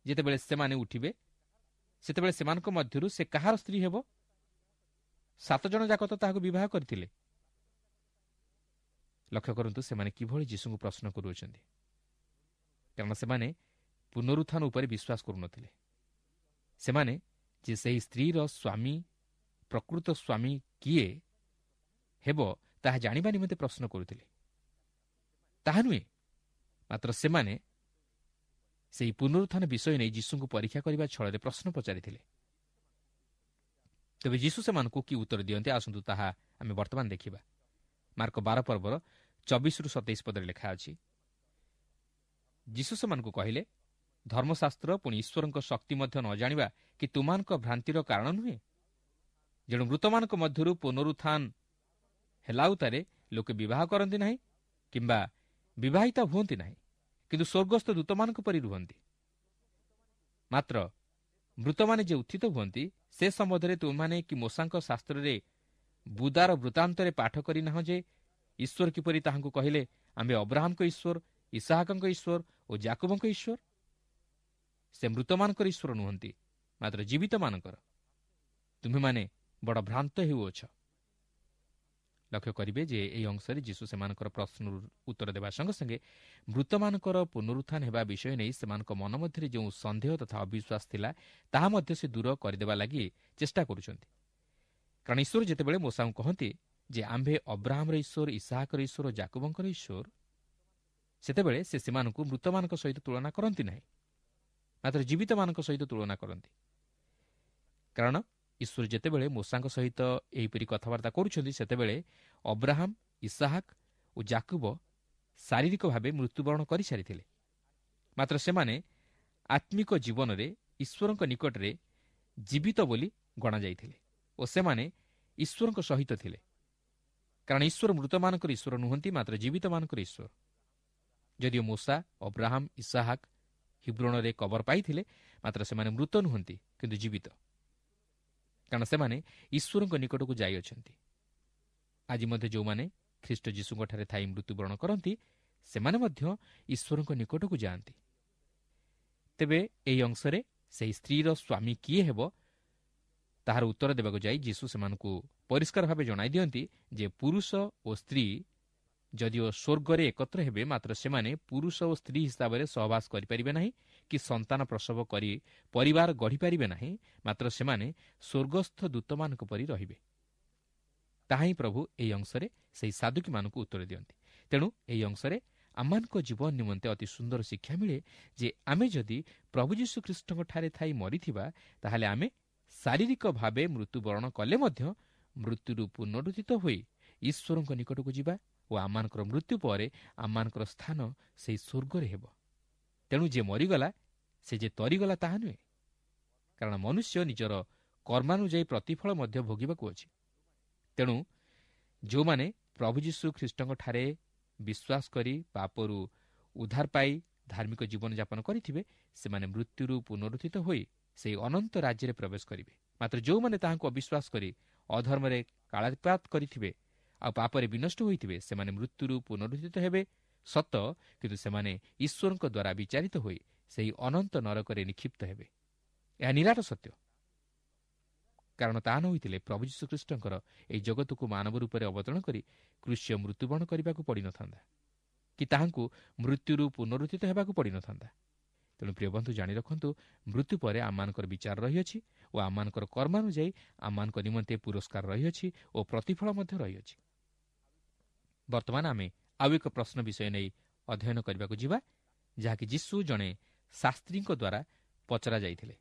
ଯେତେବେଳେ ସେମାନେ ଉଠିବେ, ସେତେବେଳେ ସେମାନଙ୍କ ମଧ୍ୟରୁ ସେ କାହାର ସ୍ତ୍ରୀ ହେବ? 7 ଜଣ ଯାକ ତ ତାହାକୁ ବିବାହ କରିଥିଲେ। ଲକ୍ଷ୍ୟ କରନ୍ତୁ ସେମାନେ କିଭଳି ଯୀଶୁଙ୍କୁ ପ୍ରଶ୍ନ କରୁଅଛନ୍ତି, କାରଣ ସେମାନେ ପୁନରୁତ୍ଥାନ ଉପରେ ବିଶ୍ୱାସ କରୁନଥିଲେ। ସେମାନେ ଯେ ସେହି ସ୍ତ୍ରୀର ସ୍ୱାମୀ, ପ୍ରକୃତ ସ୍ୱାମୀ କିଏ ହେବ ତାହା ଜାଣିବା ନିମନ୍ତେ ପ୍ରଶ୍ନ କରୁଥିଲେ, ତାହା ନୁହେଁ। ମାତ୍ର ସେମାନେ ସେହି ପୁନରୁତ୍ଥାନ ବିଷୟ ନେଇ ଯୀଶୁଙ୍କୁ ପରୀକ୍ଷା କରିବା ଛଳରେ ପ୍ରଶ୍ନ ପଚାରିଥିଲେ। ତେବେ ଯୀଶୁ ସେମାନଙ୍କୁ କି ଉତ୍ତର ଦିଅନ୍ତି, ଆସନ୍ତୁ ତାହା ଆମେ ବର୍ତ୍ତମାନ ଦେଖିବା। ମାର୍କ 12 ପର୍ବର 24ରୁ 27 ପଦରେ ଲେଖା ଅଛି, ଯୀଶୁ ସେମାନଙ୍କୁ କହିଲେ, ଧର୍ମଶାସ୍ତ୍ର ପୁଣି ଈଶ୍ୱରଙ୍କ ଶକ୍ତି ମଧ୍ୟ ନ ଜାଣିବା କି ତୁମାନଙ୍କ ଭ୍ରାନ୍ତିର କାରଣ ନୁହେଁ? ଯେଣୁ ମୃତମାନଙ୍କ ମଧ୍ୟରୁ ପୁନରୁତ୍ଥାନ ହେଲା ଉତ୍ତାରେ ଲୋକେ ବିବାହ କରନ୍ତି ନାହିଁ କିମ୍ବା ବିବାହିତା ହୁଅନ୍ତି ନାହିଁ, କିନ୍ତୁ ସ୍ୱର୍ଗସ୍ଥ ଦୂତମାନଙ୍କ ପରି ରୁହନ୍ତି। ମାତ୍ର ମୃତମାନେ ଯେ ଉତ୍ଥିତ ହୁଅନ୍ତି, ସେ ସମ୍ବନ୍ଧରେ ତୁମେମାନେ କି ମୋଶାଙ୍କ ଶାସ୍ତ୍ରରେ ବୁଦାର ବୃତ୍ତାନ୍ତରେ ପାଠ କରିନାହଁ ଯେ ଈଶ୍ୱର କିପରି ତାହାଙ୍କୁ କହିଲେ, ଆମ୍ଭେ ଅବ୍ରାହାମଙ୍କ ଈଶ୍ୱର, ଇସାହାକଙ୍କ ଈଶ୍ୱର ଓ ଜାକୁବଙ୍କ ଈଶ୍ୱର? ସେ ମୃତମାନଙ୍କର ଈଶ୍ୱର ନୁହନ୍ତି, ମାତ୍ର ଜୀବିତମାନଙ୍କର। ତୁମ୍ଭେମାନେ ବଡ଼ ଭ୍ରାନ୍ତ ହେଉଅଛ। ଲକ୍ଷ୍ୟ କରିବେ ଯେ ଏହି ଅଂଶରେ ଯୀଶୁ ସେମାନଙ୍କର ପ୍ରଶ୍ନର ଉତ୍ତର ଦେବା ସଙ୍ଗେ ସଙ୍ଗେ ମୃତମାନଙ୍କର ପୁନରୁତ୍ଥାନ ହେବା ବିଷୟ ନେଇ ସେମାନଙ୍କ ମନ ମଧ୍ୟରେ ଯେଉଁ ସନ୍ଦେହ ତଥା ଅବିଶ୍ୱାସ ଥିଲା, ତାହା ମଧ୍ୟ ସେ ଦୂର କରିଦେବା ଲାଗି ଚେଷ୍ଟା କରୁଛନ୍ତି। କାରଣ ଈଶ୍ୱର ଯେତେବେଳେ ମୋଶାଙ୍କୁ କହନ୍ତି ଯେ ଆମ୍ଭେ ଅବ୍ରାହାମର ଈଶ୍ୱର, ଇସାହାକର ଈଶ୍ୱର, ଜାକୁବଙ୍କର ଈଶ୍ୱର, ସେତେବେଳେ ସେ ସେମାନଙ୍କୁ ମୃତମାନଙ୍କ ସହିତ ତୁଳନା କରନ୍ତି ନାହିଁ, ମାତ୍ର ଜୀବିତମାନଙ୍କ ସହିତ ତୁଳନା କରନ୍ତି। କାରଣ ଈଶ୍ୱର ଯେତେବେଳେ ମୋଶାଙ୍କ ସହିତ ଏହିପରି କଥାବାର୍ତ୍ତା କରୁଛନ୍ତି, ସେତେବେଳେ ଅବ୍ରାହାମ, ଇସାହାକ ଓ ଜାକୁବ ଶାରୀରିକ ଭାବେ ମୃତ୍ୟୁବରଣ କରିସାରିଥିଲେ, ମାତ୍ର ସେମାନେ ଆତ୍ମିକ ଜୀବନରେ ଈଶ୍ୱରଙ୍କ ନିକଟରେ ଜୀବିତ ବୋଲି ଗଣାଯାଇଥିଲେ ଓ ସେମାନେ ଈଶ୍ୱରଙ୍କ ସହିତ ଥିଲେ। କାରଣ ଈଶ୍ୱର ମୃତମାନଙ୍କର ଈଶ୍ୱର ନୁହନ୍ତି, ମାତ୍ର ଜୀବିତମାନଙ୍କର ଈଶ୍ୱର। ଯଦିଓ ମୋଶା, ଅବ୍ରାହାମ, ଇସାହାକ ହିବ୍ରୋଣରେ କବର ପାଇଥିଲେ, ମାତ୍ର ସେମାନେ ମୃତ ନୁହନ୍ତି, କିନ୍ତୁ ଜୀବିତ, କାରଣ ସେମାନେ ଈଶ୍ୱରଙ୍କ ନିକଟକୁ ଯାଇଅଛନ୍ତି। ଆଜି ମଧ୍ୟ ଯେଉଁମାନେ ଖ୍ରୀଷ୍ଟ ଯୀଶୁଙ୍କଠାରେ ଥାଇ ମୃତ୍ୟୁବରଣ କରନ୍ତି, ସେମାନେ ମଧ୍ୟ ଈଶ୍ୱରଙ୍କ ନିକଟକୁ ଯାଆନ୍ତି। ତେବେ ଏହି ଅଂଶରେ ସେହି ସ୍ତ୍ରୀର ସ୍ୱାମୀ କିଏ ହେବ ତାହାର ଉତ୍ତର ଦେବାକୁ ଯାଇ ଯୀଶୁ ସେମାନଙ୍କୁ ପରିଷ୍କାର ଭାବେ ଜଣାଇ ଦିଅନ୍ତି ଯେ ପୁରୁଷ ଓ ସ୍ତ୍ରୀ ଯଦିଓ ସ୍ୱର୍ଗରେ ଏକତ୍ର ହେବେ, ମାତ୍ର ସେମାନେ ପୁରୁଷ ଓ ସ୍ତ୍ରୀ ହିସାବରେ ସହବାସ କରିପାରିବେ ନାହିଁ କି ସନ୍ତାନ ପ୍ରସବ କରି ପରିବାର ଗଢ଼ିପାରିବେ ନାହିଁ, ମାତ୍ର ସେମାନେ ସ୍ୱର୍ଗସ୍ଥ ଦୂତମାନଙ୍କ ପରି ରହିବେ। ତାହା ହିଁ ପ୍ରଭୁ ଏହି ଅଂଶରେ ସେହି ସାଧୁକୀମାନଙ୍କୁ ଉତ୍ତର ଦିଅନ୍ତି। ତେଣୁ ଏହି ଅଂଶରେ ଆମମାନଙ୍କ ଜୀବନ ନିମନ୍ତେ ଅତି ସୁନ୍ଦର ଶିକ୍ଷା ମିଳେ ଯେ ଆମେ ଯଦି ପ୍ରଭୁ ଯୀଶୁଖ୍ରୀଷ୍ଟଙ୍କଠାରେ ଥାଇ ମରିଥିବା, ତାହେଲେ ଆମେ ଶାରୀରିକ ଭାବେ ମୃତ୍ୟୁବରଣ କଲେ ମଧ୍ୟ ମୃତ୍ୟୁରୁ ପୁନରୁଦ୍ଧିତ ହୋଇ ଈଶ୍ୱରଙ୍କ ନିକଟକୁ ଯିବା ଓ ଆମମାନଙ୍କର ମୃତ୍ୟୁ ପରେ ଆମମାନଙ୍କର ସ୍ଥାନ ସେହି ସ୍ୱର୍ଗରେ ହେବ। ତେଣୁ ଯିଏ ମରିଗଲା ସେ ଯେ ତରିଗଲା ତାହା ନୁହେଁ, କାରଣ ମନୁଷ୍ୟ ନିଜର କର୍ମାନୁଯାୟୀ ପ୍ରତିଫଳ ମଧ୍ୟ ଭୋଗିବାକୁ ଅଛି। ତେଣୁ ଯେଉଁମାନେ ପ୍ରଭୁ ଯୀଶୁ ଖ୍ରୀଷ୍ଟଙ୍କଠାରେ ବିଶ୍ୱାସ କରି ପାପରୁ ଉଦ୍ଧାର ପାଇ ଧାର୍ମିକ ଜୀବନଯାପନ କରିଥିବେ, ସେମାନେ ମୃତ୍ୟୁରୁ ପୁନରୁଦ୍ଧିତ ହୋଇ ସେହି ଅନନ୍ତ ରାଜ୍ୟରେ ପ୍ରବେଶ କରିବେ। ମାତ୍ର ଯେଉଁମାନେ ତାହାଙ୍କୁ ଅବିଶ୍ୱାସ କରି ଅଧର୍ମରେ କାଳାତିପାତ କରିଥିବେ ଆଉ ପାପରେ ବିନଷ୍ଟ ହୋଇଥିବେ, ସେମାନେ ମୃତ୍ୟୁରୁ ପୁନରୁଦ୍ଧିତ ହେବେ ସତ, କିନ୍ତୁ ସେମାନେ ଈଶ୍ୱରଙ୍କ ଦ୍ୱାରା ବିଚାରିତ ହୋଇ ସେହି ଅନନ୍ତ ନରକରେ ନିକ୍ଷିପ୍ତ ହେବେ। ଏହା ନିରାଟ ସତ୍ୟ, କାରଣ ତାହା ନ ହୋଇଥିଲେ ପ୍ରଭୁ ଯୀଶୁଖ୍ରୀଷ୍ଟଙ୍କର ଏହି ଜଗତକୁ ମାନବ ରୂପରେ ଅବତରଣ କରି କୃଷ୍ୟ ମୃତ୍ୟୁବରଣ କରିବାକୁ ପଡ଼ିନଥାନ୍ତା କି ତାହାଙ୍କୁ ମୃତ୍ୟୁରୁ ପୁନରୁଦ୍ଧିତ ହେବାକୁ ପଡ଼ିନଥାନ୍ତା। ତେଣୁ ପ୍ରିୟ ବନ୍ଧୁ, ଜାଣି ରଖନ୍ତୁ, ମୃତ୍ୟୁ ପରେ ଆମମାନଙ୍କର ବିଚାର ରହିଅଛି ଓ ଆମମାନଙ୍କର କର୍ମାନୁଯାୟୀ ଆମମାନଙ୍କ ନିମନ୍ତେ ପୁରସ୍କାର ରହିଅଛି ଓ ପ୍ରତିଫଳ ମଧ୍ୟ ରହିଅଛି। ବର୍ତ୍ତମାନ ଆମେ ଆଉ ଏକ ପ୍ରଶ୍ନ ବିଷୟ ନେଇ ଅଧ୍ୟୟନ କରିବାକୁ ଯିବା, ଯାହାକି ଯୀଶୁ ଜଣେ ଶାସ୍ତ୍ରୀଙ୍କ ଦ୍ୱାରା ପଚରା ଯାଇଥିଲେ।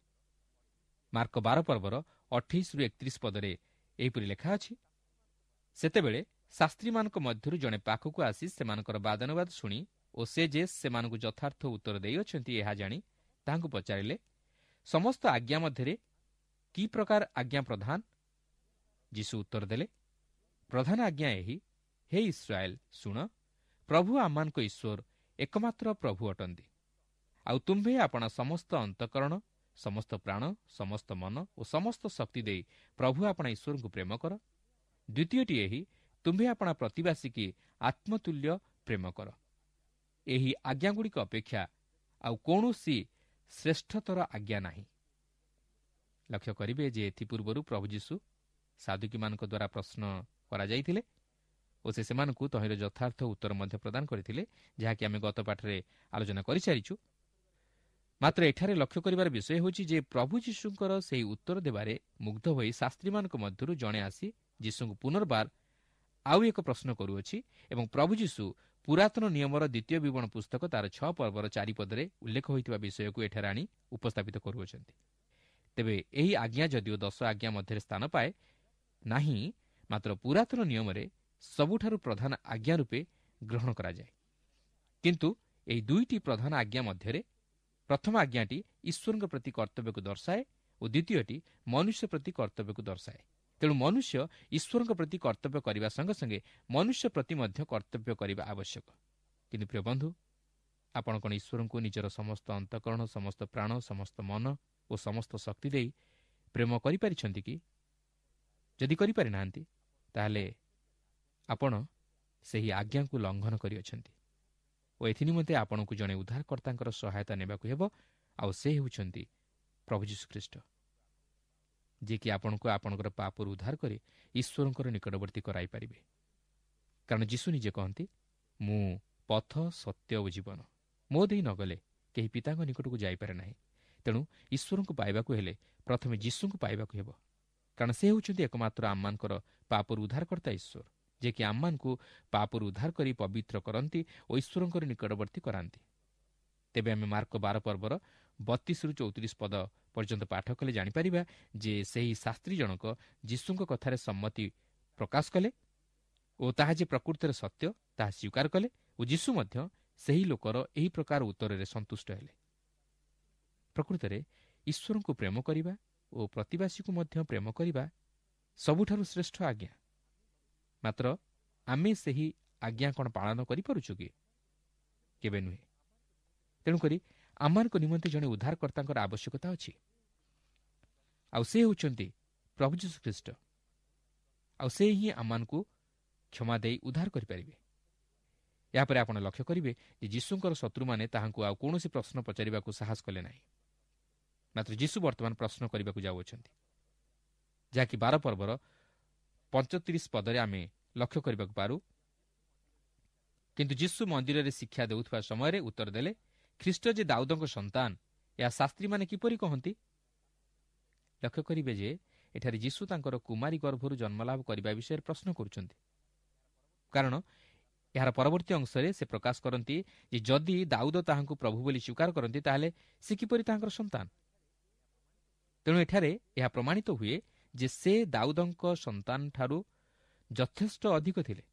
ମାର୍କ 12 ପର୍ବର 28ରୁ 31 ପଦରେ ଏହିପରି ଲେଖା ଅଛି, ସେତେବେଳେ ଶାସ୍ତ୍ରୀମାନଙ୍କ ମଧ୍ୟରୁ ଜଣେ ପାଖକୁ ଆସି ସେମାନଙ୍କର ବାଦାନୁବାଦ ଶୁଣି ଓ ସେ ଯେ ସେମାନଙ୍କୁ ଯଥାର୍ଥ ଉତ୍ତର ଦେଇଅଛନ୍ତି ଏହା ଜାଣି ତାହାଙ୍କୁ ପଚାରିଲେ, ସମସ୍ତ ଆଜ୍ଞା ମଧ୍ୟରେ କି ପ୍ରକାର ଆଜ୍ଞା ପ୍ରଧାନ? ଯୀଶୁ ଉତ୍ତର ଦେଲେ, ପ୍ରଧାନ ଆଜ୍ଞା ଏହି, ହେ ଇସ୍ରାଏଲ ଶୁଣ, ପ୍ରଭୁ ଆମମାନଙ୍କ ଈଶ୍ୱର ଏକମାତ୍ର ପ୍ରଭୁ ଅଟନ୍ତି। ଆଉ ତୁମ୍ଭେ ଆପଣା ସମସ୍ତ ଅନ୍ତଃକରଣ, ସମସ୍ତ ପ୍ରାଣ, ସମସ୍ତ ମନ ଓ ସମସ୍ତ ଶକ୍ତି ଦେଇ ପ୍ରଭୁ ଆପଣା ଈଶ୍ୱରଙ୍କୁ ପ୍ରେମ କର। ଦ୍ୱିତୀୟଟି ଏହି, ତୁମ୍ଭେ ଆପଣା ପ୍ରତିବାସୀକି ଆତ୍ମତୁଲ୍ୟ ପ୍ରେମ କର। ଏହି ଆଜ୍ଞାଗୁଡ଼ିକ ଅପେକ୍ଷା ଆଉ କୌଣସି ଶ୍ରେଷ୍ଠତର ଆଜ୍ଞା ନାହିଁ। ଲକ୍ଷ୍ୟ କରିବେ ଯେ ଏଥିପୂର୍ବରୁ ପ୍ରଭୁ ଯୀଶୁ ସାଧୁକୀମାନଙ୍କ ଦ୍ୱାରା ପ୍ରଶ୍ନ କରାଯାଇଥିଲେ ଓ ସେ ସେମାନଙ୍କୁ ତହିଁର ଯଥାର୍ଥ ଉତ୍ତର ମଧ୍ୟ ପ୍ରଦାନ କରିଥିଲେ, ଯାହାକି ଆମେ ଗତ ପାଠରେ ଆଲୋଚନା କରିସାରିଛୁ। ମାତ୍ର ଏଠାରେ ଲକ୍ଷ୍ୟ କରିବାର ବିଷୟ ହେଉଛି ଯେ ପ୍ରଭୁ ଯୀଶୁଙ୍କର ସେହି ଉତ୍ତର ଦେବାରେ ମୁଗ୍ଧ ହୋଇ ଶାସ୍ତ୍ରୀମାନଙ୍କ ମଧ୍ୟରୁ ଜଣେ ଆସି ଯୀଶୁଙ୍କୁ ପୁନର୍ବାର ଆଉ ଏକ ପ୍ରଶ୍ନ କରୁଅଛି ଏବଂ ପ୍ରଭୁ ଯୀଶୁ ପୁରାତନ ନିୟମର ଦ୍ୱିତୀୟ ବିବରଣ ପୁସ୍ତକ ତାର 6 ପର୍ବର 4 ପଦରେ ଉଲ୍ଲେଖ ହୋଇଥିବା ବିଷୟକୁ ଏଠାରେ ଆଣି ଉପସ୍ଥାପିତ କରୁଅଛନ୍ତି। ତେବେ ଏହି ଆଜ୍ଞା ଯଦିଓ 10 ଆଜ୍ଞା ମଧ୍ୟରେ ସ୍ଥାନ ପାଏ ନାହିଁ, ମାତ୍ର ପୁରାତନ ନିୟମରେ ସବୁଠାରୁ ପ୍ରଧାନ ଆଜ୍ଞା ରୂପେ ଗ୍ରହଣ କରାଯାଏ। କିନ୍ତୁ ଏହି ଦୁଇଟି ପ୍ରଧାନ ଆଜ୍ଞା ମଧ୍ୟରେ ପ୍ରଥମ ଆଜ୍ଞାଟି ଈଶ୍ୱରଙ୍କ ପ୍ରତି କର୍ତ୍ତବ୍ୟକୁ ଦର୍ଶାଏ ଓ ଦ୍ୱିତୀୟଟି ମନୁଷ୍ୟ ପ୍ରତି କର୍ତ୍ତବ୍ୟକୁ ଦର୍ଶାଏ। ତେଣୁ ମନୁଷ୍ୟ ଈଶ୍ୱରଙ୍କ ପ୍ରତି କର୍ତ୍ତବ୍ୟ କରିବା ସଙ୍ଗେ ସଙ୍ଗେ ମନୁଷ୍ୟ ପ୍ରତି ମଧ୍ୟ କର୍ତ୍ତବ୍ୟ କରିବା ଆବଶ୍ୟକ। କିନ୍ତୁ ପ୍ରିୟ ବନ୍ଧୁ, ଆପଣ କ'ଣ ଈଶ୍ୱରଙ୍କୁ ନିଜର ସମସ୍ତ ଅନ୍ତଃକରଣ, ସମସ୍ତ ପ୍ରାଣ, ସମସ୍ତ ମନ ଓ ସମସ୍ତ ଶକ୍ତି ଦେଇ ପ୍ରେମ କରିପାରିଛନ୍ତି କି? ଯଦି କରିପାରିନାହାନ୍ତି, ତାହେଲେ ଆପଣ ସେହି ଆଜ୍ଞାକୁ ଲଙ୍ଘନ କରିଅଛନ୍ତି ଓ ଏଥିନିମନ୍ତେ ଆପଣଙ୍କୁ ଜଣେ ଉଦ୍ଧାରକର୍ତ୍ତାଙ୍କର ସହାୟତା ନେବାକୁ ହେବ, ଆଉ ସେ ହେଉଛନ୍ତି ପ୍ରଭୁ ଯୀଶୁଖ୍ରୀଷ୍ଟ, ଯିଏକି ଆପଣଙ୍କୁ ଆପଣଙ୍କର ପାପରୁ ଉଦ୍ଧାର କରି ଈଶ୍ୱରଙ୍କର ନିକଟବର୍ତ୍ତୀ କରାଇପାରିବେ। କାରଣ ଯୀଶୁ ନିଜେ କହନ୍ତି, ମୁଁ ପଥ, ସତ୍ୟ ଓ ଜୀବନ, ମୋ ଦେଇ ନଗଲେ କେହି ପିତାଙ୍କ ନିକଟକୁ ଯାଇପାରେ ନାହିଁ। ତେଣୁ ଈଶ୍ୱରଙ୍କୁ ପାଇବାକୁ ହେଲେ ପ୍ରଥମେ ଯୀଶୁଙ୍କୁ ପାଇବାକୁ ହେବ, କାରଣ ସେ ହେଉଛନ୍ତି ଏକମାତ୍ର ଆମମାନଙ୍କର ପାପରୁ ଉଦ୍ଧାରକର୍ତ୍ତା ଈଶ୍ୱର, ଯିଏକି ଆମମାନଙ୍କୁ ପାପରୁ ଉଦ୍ଧାର କରି ପବିତ୍ର କରନ୍ତି ଓ ଈଶ୍ୱରଙ୍କର ନିକଟବର୍ତ୍ତୀ କରାନ୍ତି। ତେବେ ଆମେ ମାର୍କ 12 ପର୍ବର 32ରୁ 34 ପଦ ପର୍ଯ୍ୟନ୍ତ ପାଠ କଲେ ଜାଣିପାରିବା ଯେ ସେହି ଶାସ୍ତ୍ରୀ ଜଣକ ଯୀଶୁଙ୍କ କଥାରେ ସମ୍ମତି ପ୍ରକାଶ କଲେ ଓ ତାହା ଯେ ପ୍ରକୃତରେ ସତ୍ୟ ତାହା ସ୍ୱୀକାର କଲେ ଓ ଯୀଶୁ ମଧ୍ୟ ସେହି ଲୋକର ଏହି ପ୍ରକାର ଉତ୍ତରରେ ସନ୍ତୁଷ୍ଟ ହେଲେ। ପ୍ରକୃତରେ ଈଶ୍ୱରଙ୍କୁ ପ୍ରେମ କରିବା ଓ ପ୍ରତିବାସୀକୁ ମଧ୍ୟ ପ୍ରେମ କରିବା ସବୁଠାରୁ ଶ୍ରେଷ୍ଠ ଆଜ୍ଞା। ମାତ୍ର ଆମେ ସେହି ଆଜ୍ଞା କ'ଣ ପାଳନ କରିପାରୁଛୁ କି? କେବେ ନୁହେଁ। ତେଣୁକରି ଆମମାନଙ୍କ ନିମନ୍ତେ ଜଣେ ଉଦ୍ଧାରକର୍ତ୍ତାଙ୍କର ଆବଶ୍ୟକତା ଅଛି, ଆଉ ସେ ହେଉଛନ୍ତି ପ୍ରଭୁ ଯୀଶୁଖ୍ରୀଷ୍ଟ, ଆଉ ସେ ହିଁ ଆମମାନଙ୍କୁ କ୍ଷମା ଦେଇ ଉଦ୍ଧାର କରିପାରିବେ। ଏହାପରେ ଆପଣ ଲକ୍ଷ୍ୟ କରିବେ ଯେ ଯୀଶୁଙ୍କର ଶତ୍ରୁମାନେ ତାହାଙ୍କୁ ଆଉ କୌଣସି ପ୍ରଶ୍ନ ପଚାରିବାକୁ ସାହସ କଲେ ନାହିଁ। ମାତ୍ର ଯୀଶୁ ବର୍ତ୍ତମାନ ପ୍ରଶ୍ନ କରିବାକୁ ଯାଉଅଛନ୍ତି, ଯାହାକି 12 ପର୍ବର 35 ପଦରେ ଆମେ ଲକ୍ଷ୍ୟ କରିବାକୁ ପାରୁ। କିନ୍ତୁ ଯୀଶୁ ମନ୍ଦିରରେ ଶିକ୍ଷା ଦେଉଥିବା ସମୟରେ ଉତ୍ତର ଦେଲେ, ଖ୍ରୀଷ୍ଟ ଯେ ଦାଉଦଙ୍କ ସନ୍ତାନ, ଏହା ଶାସ୍ତ୍ରୀମାନେ କିପରି କହନ୍ତି? ଲକ୍ଷ୍ୟ କରିବେ ଯେ ଏଠାରେ ଯୀଶୁ ତାଙ୍କର କୁମାରୀ ଗର୍ଭରୁ ଜନ୍ମଲାଭ କରିବା ବିଷୟରେ ପ୍ରଶ୍ନ କରୁଛନ୍ତି, କାରଣ ଏହାର ପରବର୍ତ୍ତୀ ଅଂଶରେ ସେ ପ୍ରକାଶ କରନ୍ତି ଯେ ଯଦି ଦାଉଦ ତାହାଙ୍କୁ ପ୍ରଭୁ ବୋଲି ସ୍ୱୀକାର କରନ୍ତି, ତାହେଲେ ସେ କିପରି ତାହାଙ୍କର ସନ୍ତାନ? ତେଣୁ ଏଠାରେ ଏହା ପ୍ରମାଣିତ ହୁଏ ଯେ ସେ ଦାଉଦଙ୍କ ସନ୍ତାନଠାରୁ ଯଥେଷ୍ଟ ଅଧିକ ଥିଲେ।